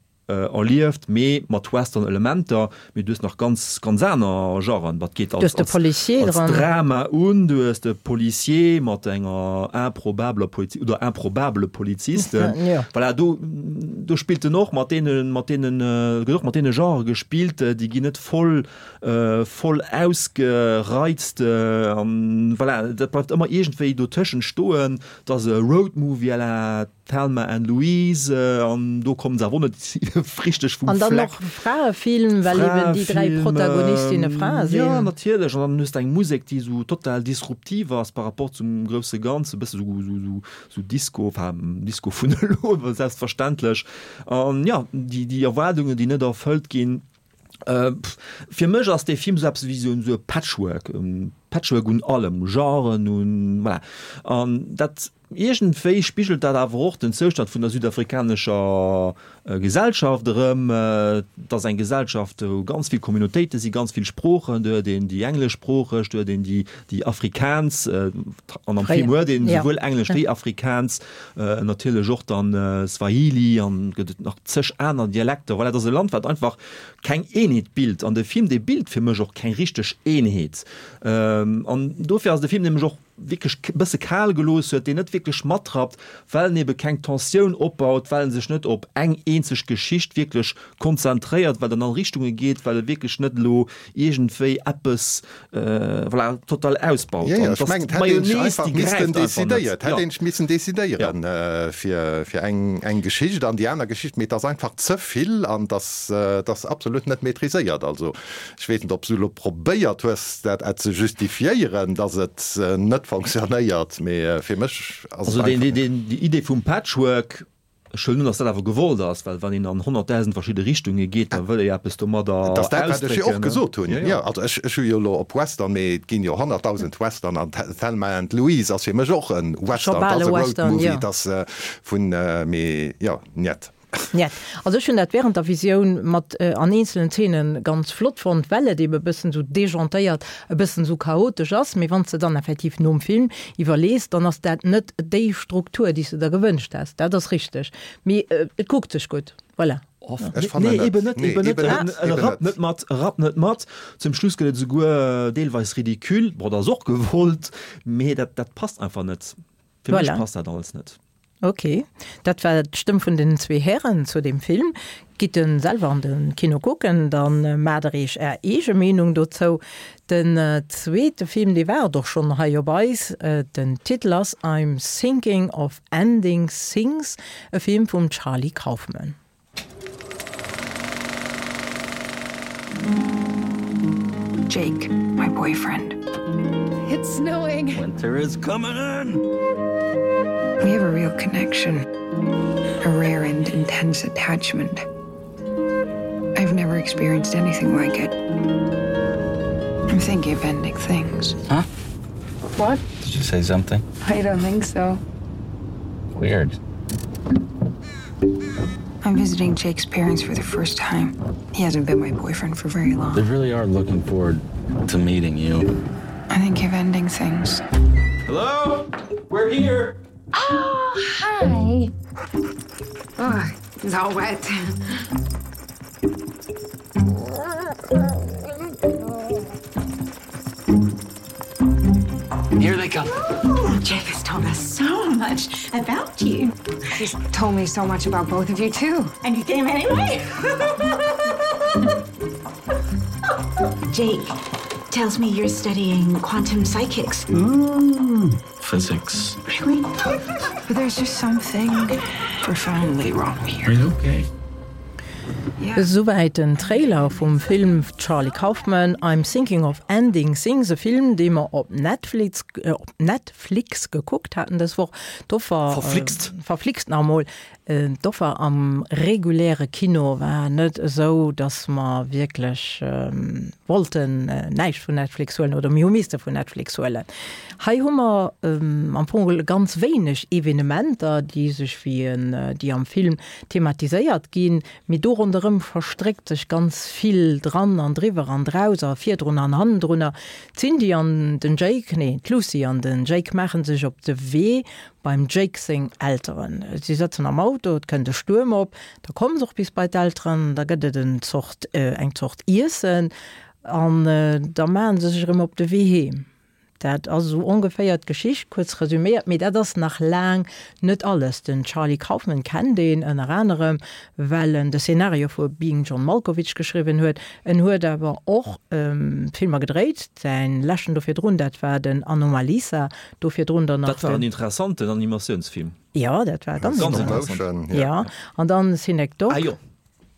erlieft, mee mat Western-Elementer. Mee du hues nach ganz, ganz aner Genren. Dat geet als, als, als Drama un, du hues de Policier mat enger improbabeler Polizi oder improbabele Polizisten. Ja. Voilà, do, do spillt en och mat deenen, mat deenen, gëtt och mat deene Genrë gespillt, déi ginn net voll, voll ausgereizt. An voilà, dat bleift ëmmer iergendwéi dotëschent stoen. Et ass e Roadmovie à la Thelma and Louise, an do kommen se awer och net richteg vum Fleck. An dann och Fraefilm, well eben déi 3 Protagonistinne Frae sinn. Jo, natierlech. An dann hues de eng Musek, déi esou total disruptiv ass par rapport zum grousse Ganzen, e bësse sou Disco, enfin Disco vun elo, selbstverständlech. An jo, déi Erwaardungen, déi net erfëllt ginn. Fir mech ass dee Film esou eppes wéi esou e Patchwork, e Patchwork un allem, u Genren, un, voilà. An dat, iergendwéi spigelt dat awer och den Zoustand vun der südafrikanescher Gesellschaft erëm. Et ass eng Gesellschaft, wou ganz vill Communautéite sinn, ganz vill Sproochen. Do huet een déi engleschsproocheg, do huet een déi, déi Afrikaans, an am Film huet een esouwuel Englesch wéi Afrikaans, Natierlech och dann Swahili an gëtt et nach zeg aner Dialekter. Voilà, et ass e Land, wat einfach keng Eenheet bilt. An de Film, dee bilt fir mech och keng richteg Eenheet. An dofir ass de Film, dee mech och wierklech e bësse kal gelooss huet, deen net wierklech matrappt, well en ebe keng Tensioun opbaut, well en sech net op eng eenzeg Geschicht wierklech konzentréiert, well et an all Richtunge geet, well e wierklech net elo iergendwéi eppes voilà, total ausbaut. Ja, ja, ech mengen, et hätt een sech einfach missten decidéiert, et hätt een sech missen decidéieren fir, fir eng, eng Geschicht an déi aner Geschicht, mee et ass einfach ze vill an et ass, et ass absolut net maîtriséiert. Also ech weess net, ob s du elo probéiert hues, dat ze justifiéieren, datt et net fonctionnéiert, mee fir mech ass et einfach. Also déi Idee vum Patchwork, Ech huelen un, datt dat awer gewollt ass, well wann een an 100.000 verschidde Richtunge geet, da wëll ee jo eppes domadder Et ass dat, wat ech jo och gesot hunn. Jo, also ech, ech hu jo elo op Western, mee et ginn jo 100.000 Western an Thelma and Louise ass fir mech och e Western, et ass e Road Movie, et ass vun, mee jo, njet. Njet. Also ech hunn dat während der Visioun mat an eenzelen Zeenen ganz flott fonnt, well et ebe bëssen esou dejantéiert, e bëssen esou chaotesch ass, mee wann s de dann effektiv nom Film iwwerlees, dann ass dat net déi Struktur, déi s de der gewënscht häss. Dat ass richteg. Mee et kuckt sech gutt. Voilà. Ech fannen Nee, net. eben net, Nee, eben net. eben net, E eben rappt net. net mat, e rappt net mat. Zum Schluss gëtt et esouguer deelweis ridicule. Bon, dat ass och gewollt, mee dat, dat passt einfach net. Fir mech Voilà. passt dat alles net. Ok, dat war d'Stëmm vun den zwee Hären zu deem Film. Gitt en selwer an de Kino kucken, dann maacht der iech är eege Meenung dozou. Den zweete Film, dee war et och schonn hei op eis. Den Titel ass I'm Thinking of Ending Things, e Film vum Charlie Kaufman. Jake, my boyfriend. It's snowing. Winter is coming in. We have a real connection, a rare and intense attachment. I've never experienced anything like it. I'm thinking of ending things. Huh? What? Did you say something? I don't think so. Weird. I'm visiting Jake's parents for the first time. He hasn't been my boyfriend for very long. They really are looking forward to meeting you. I think of ending things. Hello? We're here. Oh, hi. Oh, it's all wet. Here they come. Oh, Jake has told us so much about you. He's told me so much about both of you too. And you came anyway? Jake tells me you're studying quantum psychics. Mm, physics. Really? But there's just something profoundly wrong here. Are you okay? Esouwäit den Trailer vum Film Charlie Kaufman, I'm Thinking of Ending Things, e Film, dee mer op Netflix, op Netflix gekuckt haten dës Woch. D'Offer, Verflixt. Verflixt nach emol. D'Offer am reguläre Kino war net esou, datt mer wierklech wollten näischt vun Netflix huelen oder mir hu misste vun Netflix huelen. Hei hu mer am Fong geholl ganz wéineg Evenementer, déi sech wéi en, déi am Film thematiséiert ginn, mee do ronderëm verstréckt sech ganz vill dran an driwwer an draus a virdrun an hannendrunner. D'Cindy an den Jake, nee, d'Lucy an den Jake maache sech op de Wee. Beim Jake seng Elteren. Si sëtzen am Auto, et kënnt e Stuerm op, da komme se och bis bei d'Elteren, da gëtt et en Zort, eng Zort Iessen an da maache se sech erëm op de Wee heem. Dat ass esou ongeféier d'Geschicht, kuerz resuméiert, mee dat ass nach laang net alles. Den Charlie Kaufman kennt een ënner anerem, well en de Szenario vu Being John Malkovich geschriwwen huet. En huet awer och Filmer gedréit, säin leschten do virdrun, dat war den Anomalisa, Do virdrun dann nach Dat war en interessanten Animatiounsfilm. Jo, dat war ganz interessant. Jo, an dann Synecdoche. Ah jo.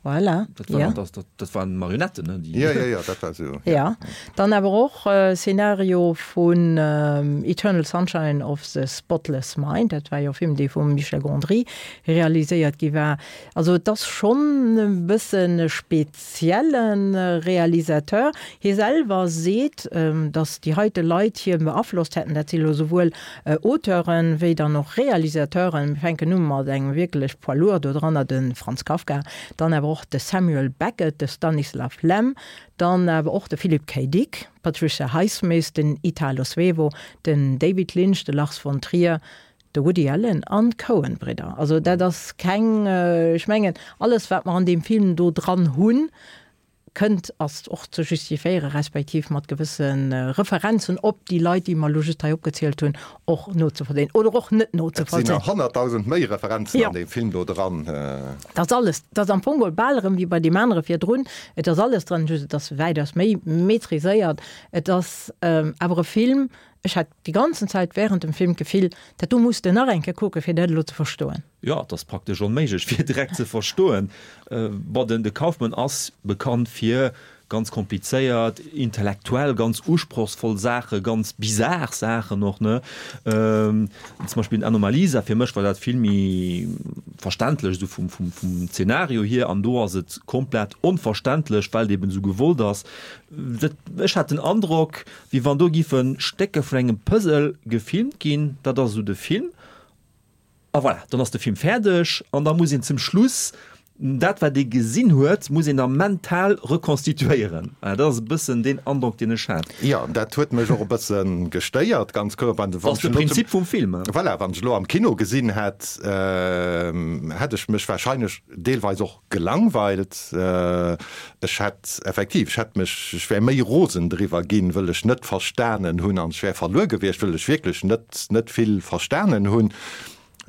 Voilà. Dat war, ja. dat, dat, dat waren Marionetten, ne? Déi... Ja, ja, ja, dat war so. Ja. ja. Dann awer och äh, Szenario vun ähm, Eternal Sunshine of the Spotless Mind. Dat war jo e Film, dee vum Michel Gondry realiséiert gi war. Also et ass schonn e bësse spez Spezielle Realisateur. Hie selwer seet, datt déi heite Leit hie beaflosst hätten. Dat si lo souwuel Auteuren, wéi dann och Realisateuren. Mir fänken u mat engem wierklech Poids lourd do dranner, de Franz Kafka, dann awer och de Samuel Beckett, de Stanislaw Lem, dann awer och de Philip K. Dick, d'Patricia Highsmith, den Italo Svevo, den David Lynch, de Lars von Trier, De Woody Allen an d'Coen-Bridder. Also dat ass keng, ech mengen, alles wat mer an deem Film do dran hunn, kënnt, ass och ze justifiéieren, respektiv mat gewësse Referenzen op déi Leit, déi mer elo just hei opgezielt hunn, och nozevollzéien oder och net Et sinn nozevollzéien. nach 100.000 méi Referenzen an deem Film do dran. Et ass alles, et ass am Fong geholl bal erëm wéi bei deem anere virdrun, et ass alles dran, just et ass wäitaus méi maîtriséiert. Et ass awer e Film, Ech hat déi ganzen Zäit während dem Film d'Gefill, dat do muss de nach eng Kéier kucken, fir dat elo ze verstoen. Jo, et ass praktesch onméiglech fir direkt ze verstoen. Bon, den de Kaufman ass bekannt fir ganz komplizéiert, intellektuell ganz usprochsvoll Saachen, ganz bizar Saachen och, ne? Zum Beispill den Anomalisa, fir mech war dat vill méi verständlech esou vum, vum, vum Zeenario hier, an do ass et komplett onverständlech, well et eben esou gewollt ass. Dat, ech hat den Androck, Wéi wann do giffe Stécke vun engem Puzzle gefilmt ginn, dat ass esou de Film, a voilà, dann ass de Film fäerdeg an da muss een zum Schluss dat wat ee gesinn huet, muss een da mental rekonstituéieren. Dat ass e bëssen deen Androck deen ech hat. Jo, dat huet mech och e bësse gestéiert, ganz kloer. Dat ass de Prinzip vum Film. Voilà, wann ech elo am Kino gesinn hätt, hätt ech mech warscheinlech deelweis och Gelangweilt? Ech hätt effektiv, ech hätt mech, ech wär méi rosen driwwer ginn, wëll ech net verstanen hunn an ech wär verluer gewiescht, wëll ech wierklech net, net vill verstanen hunn.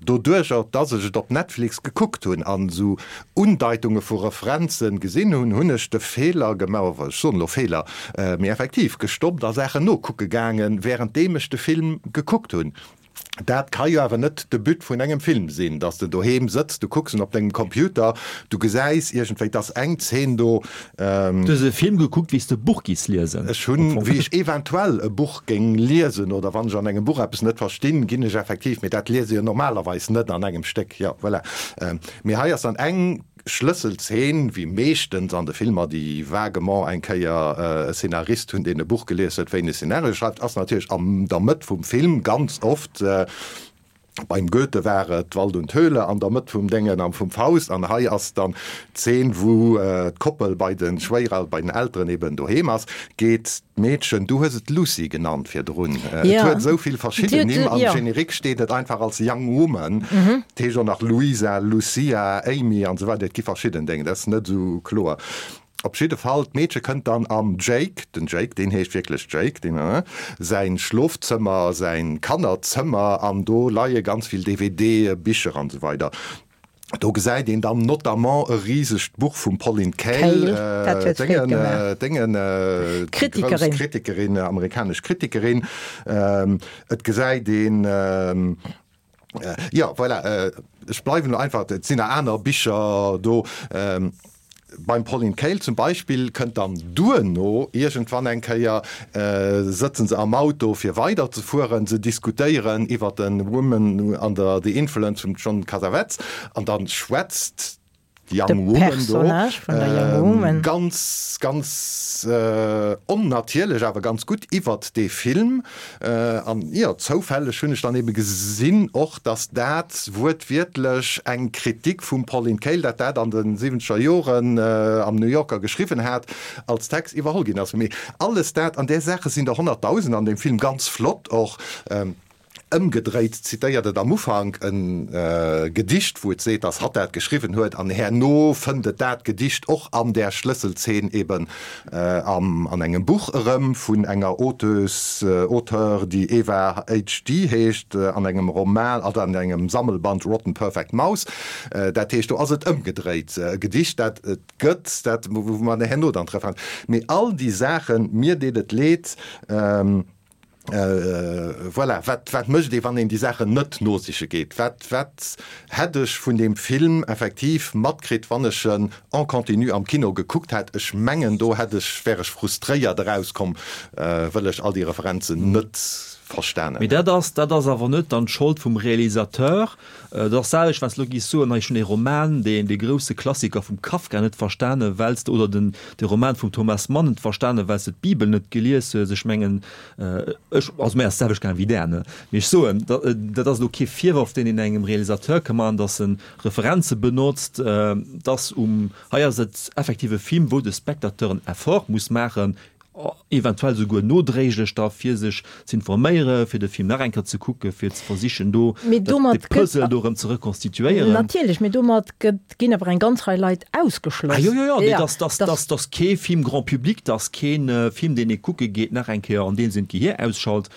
Doduercher, dass ech et op Netflix gekuckt hunn an esou Undeitunge vu Referenzen gesinn hunn, hunn ech de Feeler gemaach, ech soen elo Feeler, mee effektiv gestoppt a Saachen nokucke gaangen, wärenddeem ech de Film gekuckt hunn. Dat ka jo awer net de But vun engem Film sinn, dass de doheem sëtz, du kucks en op dengem Computer, du gesäis iergendwéi, dass eng Zeen do. Du hues e Film gekuckt, wéi s de e Buch giss liesen. Ech hunn, wéi ech eventuell e Buch géing liesen oder wann ech an engem Buch eppes net verstinn, ginn ech effektiv, mee dat liese jo normalerweis net an engem Stéck, jo, voilà. Mee hei ass dann eng. Schlësselzeen, wéi meeschtens an de Filmer, déi vaguement eng Kéier e Szenarist hunn, deen e Buch gelies huet, wéi en e Szenario schreift, ass natierlech an der Mëtt vum Film ganz oft, beim Goethe war et Wald und Höhle an der Mëtt vum Déngen an vum Faust, an hei ass dann d'Zeen, wou d'Koppel bei de Schwéierel-, bei den Elteren eben doheem ass, geet D'Meedchen, du hues et Lucy genannt virdrun, et huet esou vill verschidden Nimm, am Générique steet et einfach als Young Woman, et heescht och nach Louisa, Lucia, Amy an esou weider, et gi verschidden Déngen, dat ass net esou kloer. Op jidde Fall, d'Meedche kënnt dann am Jake, den Jake, deen heescht wierklech Jake, deen, säin Schlofzëmmer, säin Kannerzëmmer an do leie ganz vill DVDe, Bicher an esou weider. Do gesäit een dann notamment e risegt Buch vum Pauline Kael, Déngen, grouss Kritikerin, amerikanesch Kritikerin. Et gesäit een, jo, voilà, ech bleiwen elo einfach, et sinn nach aner Bicher do. Beim Pauline Kael zum Beispill kënnt dann duerno iergendwann eng Kéier, sëtzen se am Auto fir weider ze fueren, se diskutéieren iwwer de Woman under the Influence vum John Cassavetes an dann schwätzt d'Young Woman do ganz, ganz onnatierlech awer ganz gutt iwwert dee Film. An jo, zoufälleg hunn ech dann ebe gesinn och, datt dat wuertwiertlech eng Kritik vum Pauline Kael, dat dat an de siwwenzeger Joren am New Yorker geschriwwen hat, als Text iwwerholl ginn ass. Mee alles dat, an där Saache sinn der honnertdausend an deem Film, ganz flott och. Ëmgedréit zitéiert et am Ufank e Gedicht, wou et seet, datt hatt dat geschriwwen huet, an herno fënnt et dat Gedicht och an där Schlësselzeen eben am an engem Buch erëm vun enger Auteuse, Auteure, déi Eva HD. heescht, an engem Roman, also an engem Sammelband Rotten Perfect Mouse. Dat heescht, do ass et ëmgedréit, e Gedicht, dat et gëtt, dat wou mer herno dann d'Referenz. Mee all déi Saachen, mir deet et leed, Voilà, wat, wat mécht ee, wann een déi Saachen net nosiche geet? Wat, wat hätt ech vun deem Film effektiv matkritt, wann ech en en continu am Kino gekuckt hätt? Ech mengen, do hätt ech, wär ech frustréiert erauskomm, wëll ech all déi Referenzen net verstanen Mee hätt. dat ass, dat ass awer net dann d'Schold vum Realisateur. Dat ass d'selwecht, wann s de elo giffs soen, hei ech hunn ee Roman, deen, dee grousse Klassiker vum Kafka net verstanen, well s de, oder den, de Roman vum Thomas Mann net verstanen, well s de d'Bibel net gelies hues. Ech mengen, Ech, also mär ass d'selwecht gaang wéi där, ne? Mee ech soen, dat ass elo kee Virworf, deen een engem Realisateur ka maachen, datt en Referenze benotzt, dass um, hei ass et effektiv e Film, wou de Spectateur en Effort muss maachen, eventuell souguer nodréiglech da fir sech z'informéieren, fir de Film nach eng Kéier ze kucken, fir ze versichen do dat, de Puzzle do erëm ze rekonstituéieren. Natierlech, mee domat gëtt Ginn awer eng ganz Rei Leit ausgeschloss. Ah jo, jo, jo, nee, dass, dass, dass, dass kee Film grand public, dass keen Film, deen ee kucke geet, nach eng Kéier an deem Sënn d'Gehier ausschalt.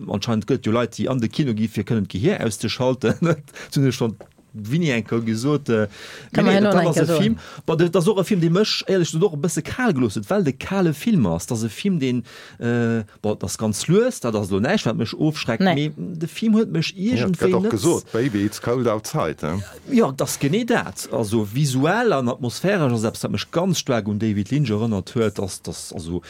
Anscheinend gëtt et jo Leit, déi an de Kino gi fir kënnen d'Gehier auszeschalten. Dat hunn ech schonn wéini eng Kéier gesot. Mee nee, dat ass e Film, bon, dat ass och e Film, dee mech éierlech gesot och e bësse kal gelooss huet, well et e kale Film ass. Dat ass e Film, deen, Bon, et ass ganz lues, dat ass elo näischt, wat mech ofschreckt, mee de Film huet mech iergendwéi net. Gëtt och gesot, Baby, it's cold outside, he? Jo, et ass genee dat. Also visuell an atmosphäresch ass eppes, wat mech ganz staark un David Lynch erënnert huet. Ass dass also,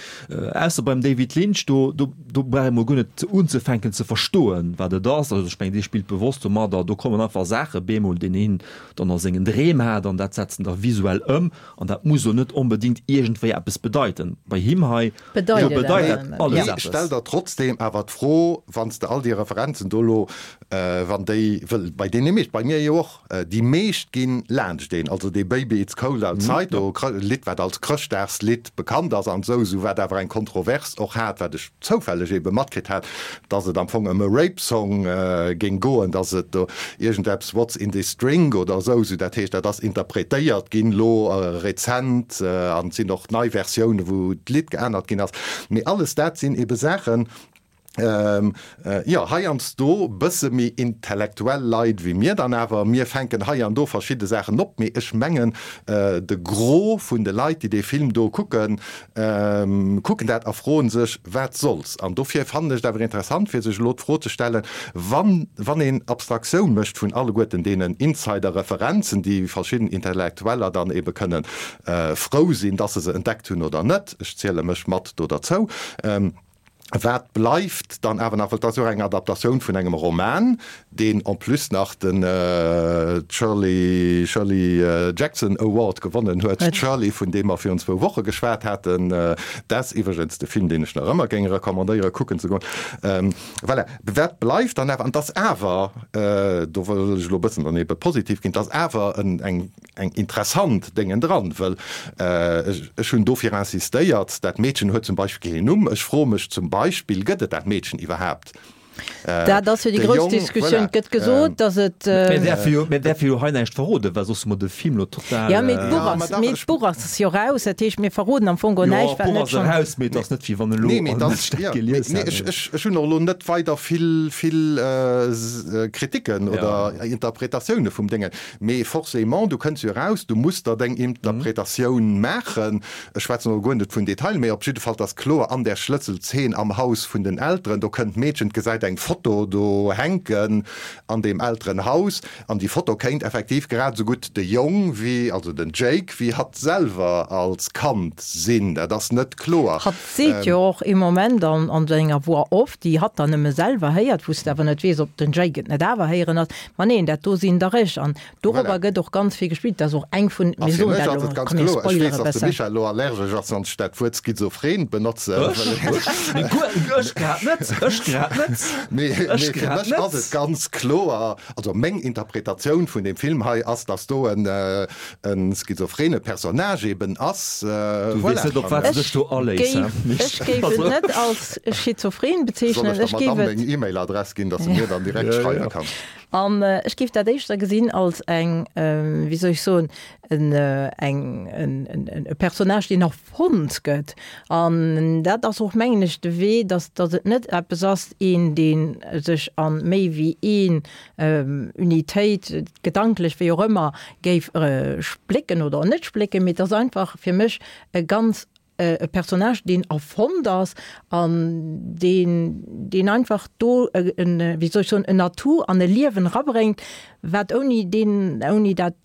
ausser beim David Lynch, do, do, do brauch ee mol guer net unzefänken ze verstoen, wat et ass. Also ech mengen, dee spillt bewosst domadder, do kommen einfach Saache bemol, deen een dann a sengen Dreem hat an dat setzt en da visuell ëm an dat muss elo net onbedéngt iergendwéi eppes bedeiten. Bei him hei. Bedeit et awer dat alles eppes. Stell der trotzdem awer d'Fro, wann s de all déi Referenzen do elo, wann déi, wëll bei deene meescht, bei mir jo och, déi meescht gi laanscht een, also dee Baby it's cold outside do, Lidd wat als Chrëschtdagslidd bekannt ass an esou, esou wat awer eng Kontrovers och hat, wat ech zoufälleg ebe matkritt hat, dass et am Fong ëm e Rape Song géing goen, dass et do iergendeppes What's in this drink oder esou, esou dat heescht, dat ass interpretéiert ginn elo rezent an et sinn och nei Versiounen, wou d'Lidd geännert ginn ass. Mee alles dat sinn ebe Saachen, jo, heiansdo bësse méi intellektuell Leit wéi mir dann awer, mir fänken hei an do verschidde Saachen op, mee ech mengen, de Gros vun de Leit, déi dee Film do kucken, kucken dat a froen sech, Wat soll's? An dofir fannen ech et awer interessant, fir sech elo d'Fro ze stellen, wann, wann een Abstraktioun mécht vun alleguerten deenen Insider-Referenzen, déi verschidden Intellektueller dann ebe kënnen frou sinn, dass se se entdeckt hunn oder net, ech ziele mech mat do derzou, wat bleift dann awer nach? Well et ass jo och eng Adaptatioun vun engem Roman, deen en plus nach den Shirley Shirley Jackson Award gewonnen huet, Shirley, vun deem mer virun zwou Woche geschwat haten. Dat ass iwwregens de Film, deen ech nach ëmmer géing recommandéieren, kucken ze goen. Voilà, wat bleift dann awer? An et ass awer, do wëll ech elo e bëssen dann ebe positiv ginn, et ass awer en eng eng interessant Déngen dran, wëll ech hunn dofir insistéiert, dat Meedchen huet zum Beispill keen Numm. Ech froe mech zum Beispill, gëtt et dat Meedchen iwwerhaapt? Dat ass jo déi grouss Diskussioun. Et gëtt gesot, datt et. Mir däerfe jo, mir däerfe jo hei näischt verroden, well soss hu mer de Film elo total. Jo, mee d'Buch ass, mee d'Buch ass jo raus. Dat heescht, mir verroden am Fong guer näischt, wat net schonn. Jo, d'Buch ass eraus, mee et ass net, wéi wann elo all Mënsch dat gelies hätt. Nee, ech hunn och elo net weider vill, vill Kritiken oder Interpretatioune vum Déngen. Mee forcément, du kënns jo eraus, du muss der deng Interpretatioun maachen. Ech schwätzen elo guer net vun Detailen, mee op jidde Fall, 't ass kloer, an där Schlësselzeen am Haus vun den Elteren, do kënnt d'Meedchen, 't gesäit eng Foto do hänken an deem Elterenhaus, an déi Foto kéint effektiv grad esou gutt de Jong wéi, also den Jake, wéi hatt selwer als Kand sinn. Dat ass net kloer. Hatt seet jo och ee Moment an an senger Voix off, déi hatt dann nëmme selwer héiert, wou s de awer net weess, ob den Jake et net awer héieren ass, Ma neen, dat do sinn der ech. An dorobber Voilà. gëtt och ganz vill gespillt. Dat ass och eng vun, A mir fir soen mech dat ass elo, et ganz komm mir kloer, ech spoilere weess, dass de bëssen. Michel elo allergesch ass, wann ech dat Wuert schizophren benotze, Ech? well Ech? Nee, guer, ech grad net, ech grad net. Mee Ech fir grad mech ass net. et ganz kloer, also meng Interpretatioun vun deem Film hei ass, dass do en schizophrene Personnage eben ass. Du weess net, op wat s de dech do aléiss, Ech he? géif, ech géif et net als schizophren Soll bezeechnen, ech der ech géif Madamm et. meng E-Mail-Adress ginn, dass se mir dann direkt schreiwe kann? An ech géif dat éischter gesinn als eng, wéi soll ech soen, en, eng, en, e Personnage, deen erfonnt gëtt. An dat ass och, mengen ech, de Wee, dass, dass et net eppes ass, een, dee sech a méi wéi een Unitéit, gedanklech, wéi och ëmmer, géif splécken oder net splécken, mee et ass einfach fir mech e ganz e Personnage, deen erfonnt ass an deen, deen einfach do en, wéi soll ech soen, en Atout an e Liewen erabréngt, wat ouni deen, ouni dat,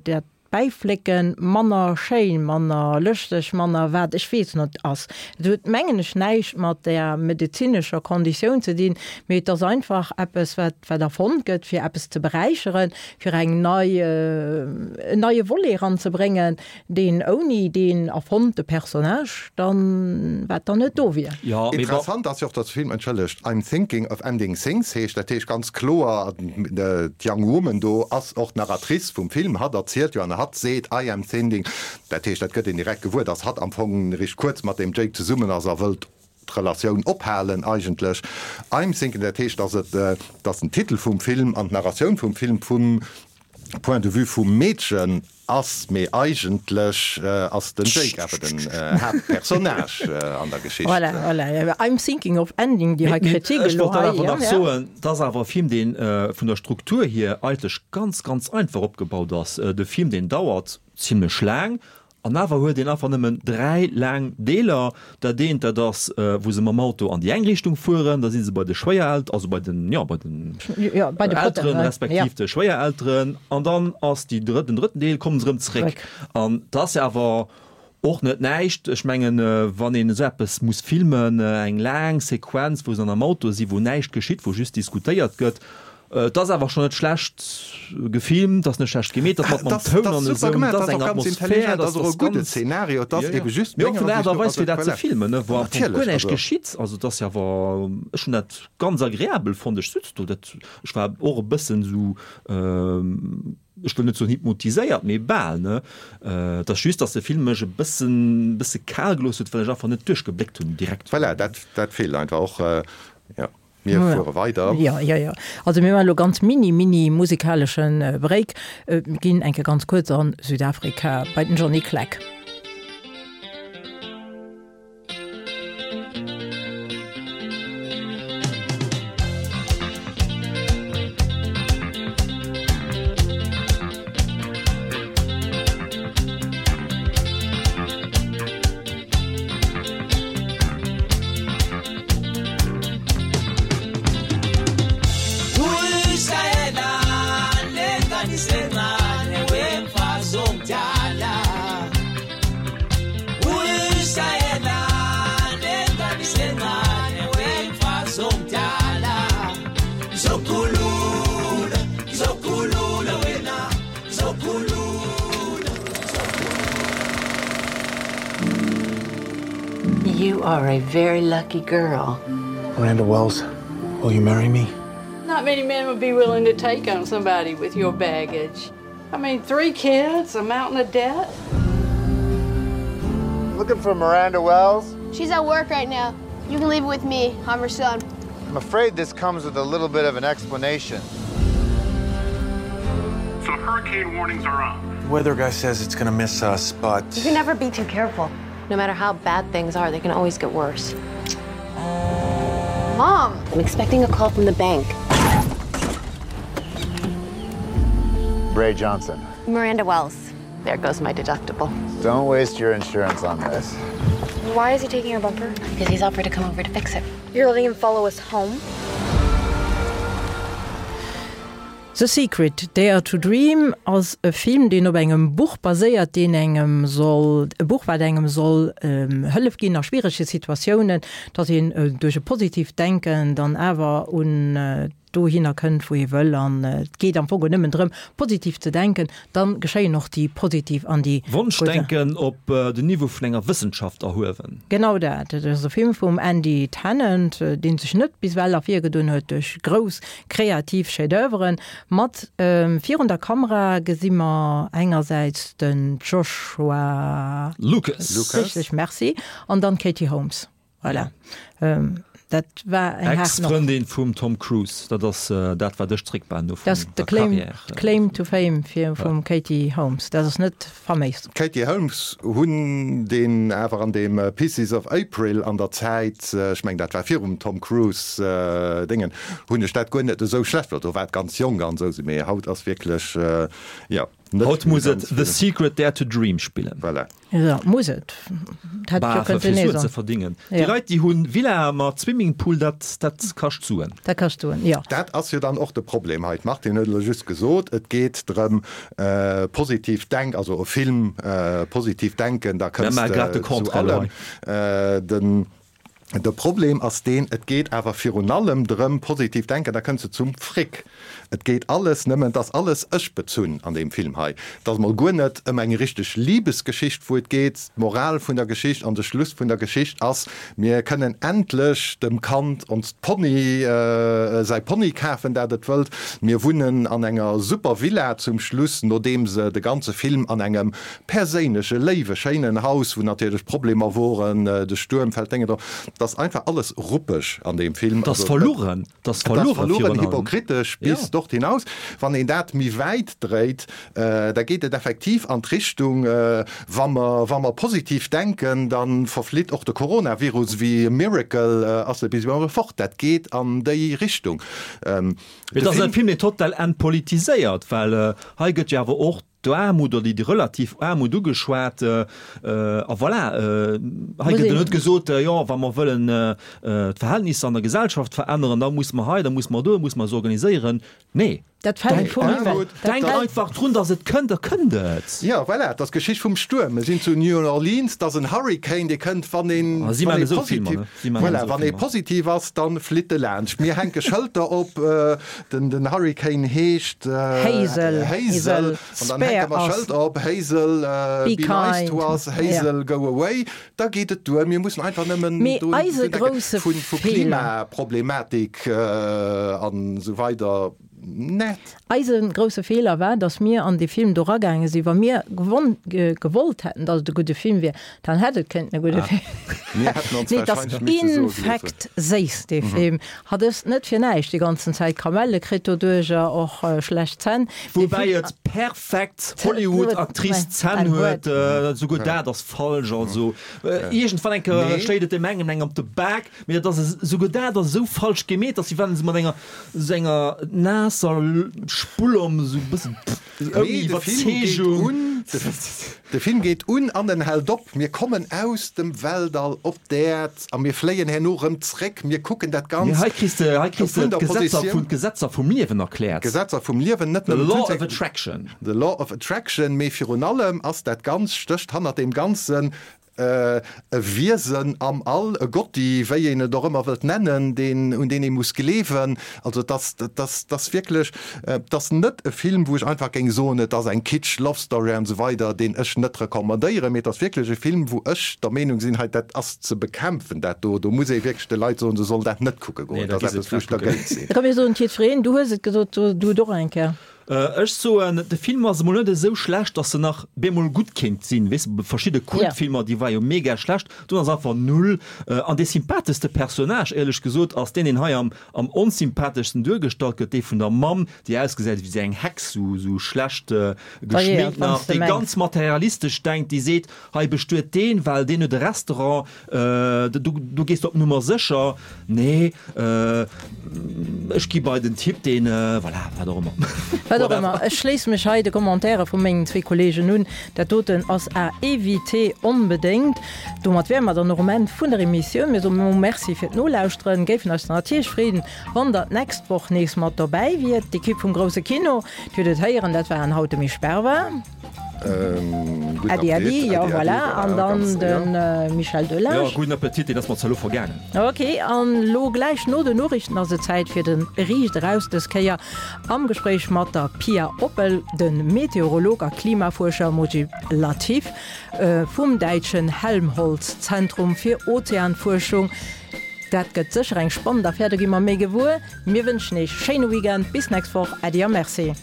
dat Bäiflécken manner schéin, manner lëschteg, manner wat ech weess net ass. Et huet, mengen ech, näischt mat där medezinescher Konditioun ze dinn, mee et ass einfach eppes, wat, wat erfonnt gëtt, fir eppes ze beräicheren, fir eng nei, en neie Volet eranzebréngen, Deen ouni deen erfonnte Personnage dann, wat dann net do wier. Jo, mee wa. Interessant ass jo och, dass de Film, entschëllegt, I'm Thinking of Ending Things heescht. Dat heescht ganz kloer, d'Young Woman do ass och d'Narratrice vum Film. Hatt erzielt jo an hatt seet I am thinking. Dat heescht, dat gëtt een direkt gewuer, dass hatt am Fong eréischt kuerz mat deem Jake zesummen ass a wëllt d'Relatioun ophalen eigentlech. I'm thinking, dat heescht, dass et, dass den Titel vum Film an d'Narratioun vum Film vum Point de vue vum Meedchen ass, mee eigentlech ass den Jake awer den Haaptpersonnage an der Geschicht. Voilà, voilà, I'm thinking of ending déi hei Kritik Ech elo wollt dat hei, awer ja, nach ja. soen, et ass awer e Film, dee vun der Struktur hier eigentlech ganz, ganz einfach opgebaut ass. De Film, deen dauert zimlech laang An awer huet een einfach nëmmen 3 laang Deeler. Dat eent, dat ass, wou se mam Auto an déi eng Richtung fueren, da si se bei de Schwéierelt-, also bei den, jo, bei den Elteren, respektiv de Schwéierelteren. An dann ass déi drëtt, den drëtten Deel, kommen se erëm zréck. An dat ass jo awer och net näischt. Ech mengen, wann een esou eppes muss filmen, eng laang Sequenz, wou se dann am Auto sinn, wou näischt geschitt, wou just diskutéiert gëtt, Et ass awer schon net schlecht gefilmt, ass net schlecht gemeet, ass mat mam Toun an esou, et ass eng Atmosphär, dat ass och e gudde Szenario, et ass ebe just menger Ansicht no, Aart a Weis fir dat ze filmen, ne, wou am Fong guer näischt geschitt, also et ass jo awer, ech hunn dat ganz agreabel fonnt, ech sutz do, dat, ech war och e bëssen esou, ech wëll net soen hypnotiséiert, mee bal, ne, et ass just, dass de Film mech e bëssen, bësse kal gelooss huet, well ech einfach net duerchgebléckt hunn direkt. Voilà, dat, dat feelt einfach och, jo. Mir fuere weider. Jo, jo, jo. Also mir maachen elo ganz mini, mini musikaleschen Break. Mir ginn eng Kéier ganz kuerz an Südafrika bei den Johnny Clegg. You are a very lucky girl. Miranda Wells, will you marry me? Not many men would be willing to take on somebody with your baggage. I mean, three kids, a mountain of debt. Looking for Miranda Wells? She's at work right now. You can leave it with me. I'm her son. I'm afraid this comes with a little bit of an explanation. So hurricane warnings are up. The weather guy says it's gonna miss us, but You can never be too careful. No matter how bad things are, they can always get worse. Mom, I'm expecting a call from the bank. Bray Johnson. Miranda Wells. There goes my deductible. Don't waste your insurance on this. Why is he taking your bumper? Because he's offered to come over to fix it. You're letting him follow us home? The Secret, Dare to Dream ass e Film, deen op engem Buch baséiert, deen engem soll, e Buch wat engem soll Hëllef ginn a schwierege Situatiounen, datt een duerch e positiivt Denken dann awer un. dohinner kënnt, wou ee wëll an et geet am Fong nëmmen drëm, positiv ze denken, dann geschéien och déi positiv an déi. Wonschdenken op den Niveau vun enger Wëssenschaft erhuewen. Genau dat. Dat ass e Film vum Andy Tennant, dee sech net bis ewell ervirgedoen huet duerch grouss kreativ Chef-d'oeuvren. Mat virun der Kamera gesi mer engersäits den Joshua. Lucas. Richteg, merci. An dann d'Katie Holmes. Voilà. Dat war eng haart Nott. Ex-Frëndin vum Tom Cruise. Dat ass dat, wat ech zréckbehalen hu vun der Karriär. Dat ass de Claim to Fame vum Katie Holmes. Dat ass net faméis. D'Katie Holmes hunn deen awer an deem Pieces of April an der Zäit, ech mengen dat war virum Tom Cruise Déngen, hunn ech dat guer net esou schlecht fonnt. Do war et ganz jonk an esou, mee haut ass wierklech, jo, net Haut muss et The Secret Dare to Dream spillen. Voilà. Jo, muss et. Dat hätt jo kënnten nee soen. Ze verdingen. Déi Leit, déi hunn Villae mat Swimmingpool, dat, dat kascht Suen. Dat kascht Suen, jo. Dat ass jo dann och de Problem hei. D'Martine huet elo just gesot, et geet drëm, positiv denk, also e Film, positiv denken, da kënns de zu allem. Den. De Problem ass deen, et geet awer virun allem drëm, positiv denken, da kënns de zum Fric. Et geet alles nëmmen, et ass alles ech-bezunn an deem Film hei. Et ass mol guer net ëm eng richteg Libesgeschicht, wou et geet. D'Moral vun der Geschicht an de Schluss vun der Geschicht ass, mir kënnen endlech dem Kand onst Pony, säi Pony kafen, dat et wëllt. Mir wunnen an enger super Villa zum Schluss, nodeem se de ganze Film an engem perséinleche, léiwe, schéinen Haus, wou natierlech Problemer woren, de Stuerm fält Dénge drop. Et ass einfach alles ruppeg an deem Film. Et ass verlugen, et ass verlugen, hypokritesch bis dort hinaus. Wann een dat méi wäit dréit, da geet et effektiv an d'Richtung, wa mer, wa mer positiv denken, da verflitt och de Coronavirus wéi e Miracle, ass e bis ewell fort. Dat geet an déi Richtung. Et ass e Film, deen total entpolitiséiert, well hei gëtt jo awer och d'Aarmut oder déi relativ Aarmut ugeschwat. A voilà, hei gëtt jo net gesot, jo, wa mer wëllen d'Verhältnisser an der Gesellschaft veränneren, da muss mer hei, da muss mer do, da muss mer eis organiséieren. Nee, Dat fält vum Himmel. Denk einfach drun, datt et kënnt, da kënnt et. Jo, voilà, et ass d'Geschicht vum Stuerm. Mir sinn zu New Orleans, et ass en Hurricane, dee kënnt, wann een, wann ee positiv, voilà, wann ee positiv ass, da flitt e laanscht. Mir hänke Schëlter op, Den den Hurricane heescht Hazel, Hazel, an dann hänke mer Schëld op, Hazel, be nice to us, Hazel, go away. Da geet et duer. Mir mussen einfach nëmmen do denken, vu Klimaproblematik an esou weider net. Eise grousse Feeler war, datt mir an dee Film do eragaange sinn. Wa mir gewollt hätten, datt et e gudde Film wier, Dann hätt et kënnten e gudde Film. Mir hätten ons wahrscheinlech misse soe geloossen. Infekt séiss dee Film. Hat ech net fir näischt déi ganzen Zäit Kamelle kritt doduercher, och schlecht Zänn. Woubäi et perfekt Hollywood-Actrice Zänn huet, souguer dat ass falsch. Also iergendwann eng Kéier schléit et deem engem eng op de Bak, mee dat ass esouguer dat ass esou falsch gemeet, dass wéi wann se mat enger esou enger naasser Spull om esou e bëssen. Ouni Iwwerzeegung. De Film geet un an en hält op. Mir kommen aus dem Weltall op d'Äerd a mir fléien herno rëm zréck. Mir kucken dat Ganzt Mee hei kriss de, hei kriss de d'Gesetzer vun, d'Gesetzer vum Liewen erkläert. D'Gesetzer vum Liewen, net nëmmen. The Law of Attraction. The Law of Attraction, mee virun allem ass dat Ganzt, stécht hannert deem Ganzen E Wiesen am All, e Gotti, wéi een et och ëmmer wëllt nennen, deen, un deen ee muss gleewen. Also et ass, et ass, et ass wierklech, et ass net e Film, wou ech einfach géing soen, et ass eng Kitsch Love Story an esou weider, deen ech net recommandéieren, mee et ass wierklech e Film, wou ech der Meenung sinn, hei dat ass ze bekämpfen, dat do. Do muss ee wierklech de Leit soen, se sollen dat net kucke goen. Dat ass eppes, wou ech dergéint sinn. Komm mir soen et jiddwereen, du hues et gesot, du et och eng Kéier. Ech soen, de Film ass emol net esou schlecht, dass en nach bemol gutt kéint sinn. Weess de, verschidde Kultfilmer, déi war jo mega schlecht, do ass einfach null. An dee sympatheschste Personnage, éierlech gesot, ass deen, deen hei am am onsympatheschsten duergestallt gëtt, dee vun der Mamm, déi ausgesäit wéi esou eng Hex, sou sou schlecht geschminkt nach, déi ganz materialistesch denkt, déi seet, hei bestuet deen, well deen huet e Restaurant, Do, do gees de op Nummer sécher. Nee, ech gi bei den Typ, deen, voilà, wat och ëmmer. Wat och ëmmer. Ech schléisse mech hei de Commentaire vu mengen zwee Kolleegen un. Dat doten ass à éviter onbedéngt. Domat wäre mer dann och um Enn vun der Emissioun. Mir soen elo Merci fir d'Nolauschteren, géifen eis dann natierlech freeden, wann der d'nächst Woch nees mat dobäi wiert. D'Ekipp vum Grousse Kino, Dir hutt et héieren, dat waren haut de Misch Berber. Gudden Äddi, äddi, Appetit. jo Äddi, äddi, voilà. An voilà, dann ganz, de jo. Michel Delage. Jo, gudden Appetit, deen ass mer zwar elo vergaangen. Ok, an lo gläich no den Noriichten ass et Zäit fir de Riicht eraus, dës Kéier am Gespréich mat der Pia Oppel, de Meteorolog a Klimafuerscher Mojib Latif vum däitschen Helmholtz-Zentrum fir Ozeanfuerschung. Dat gëtt sécher eng spannend Affär, do gi mer méi gewuer. Mir wënschen Iech schéine Weekend, bis nächst Woch, Äddi a Merci.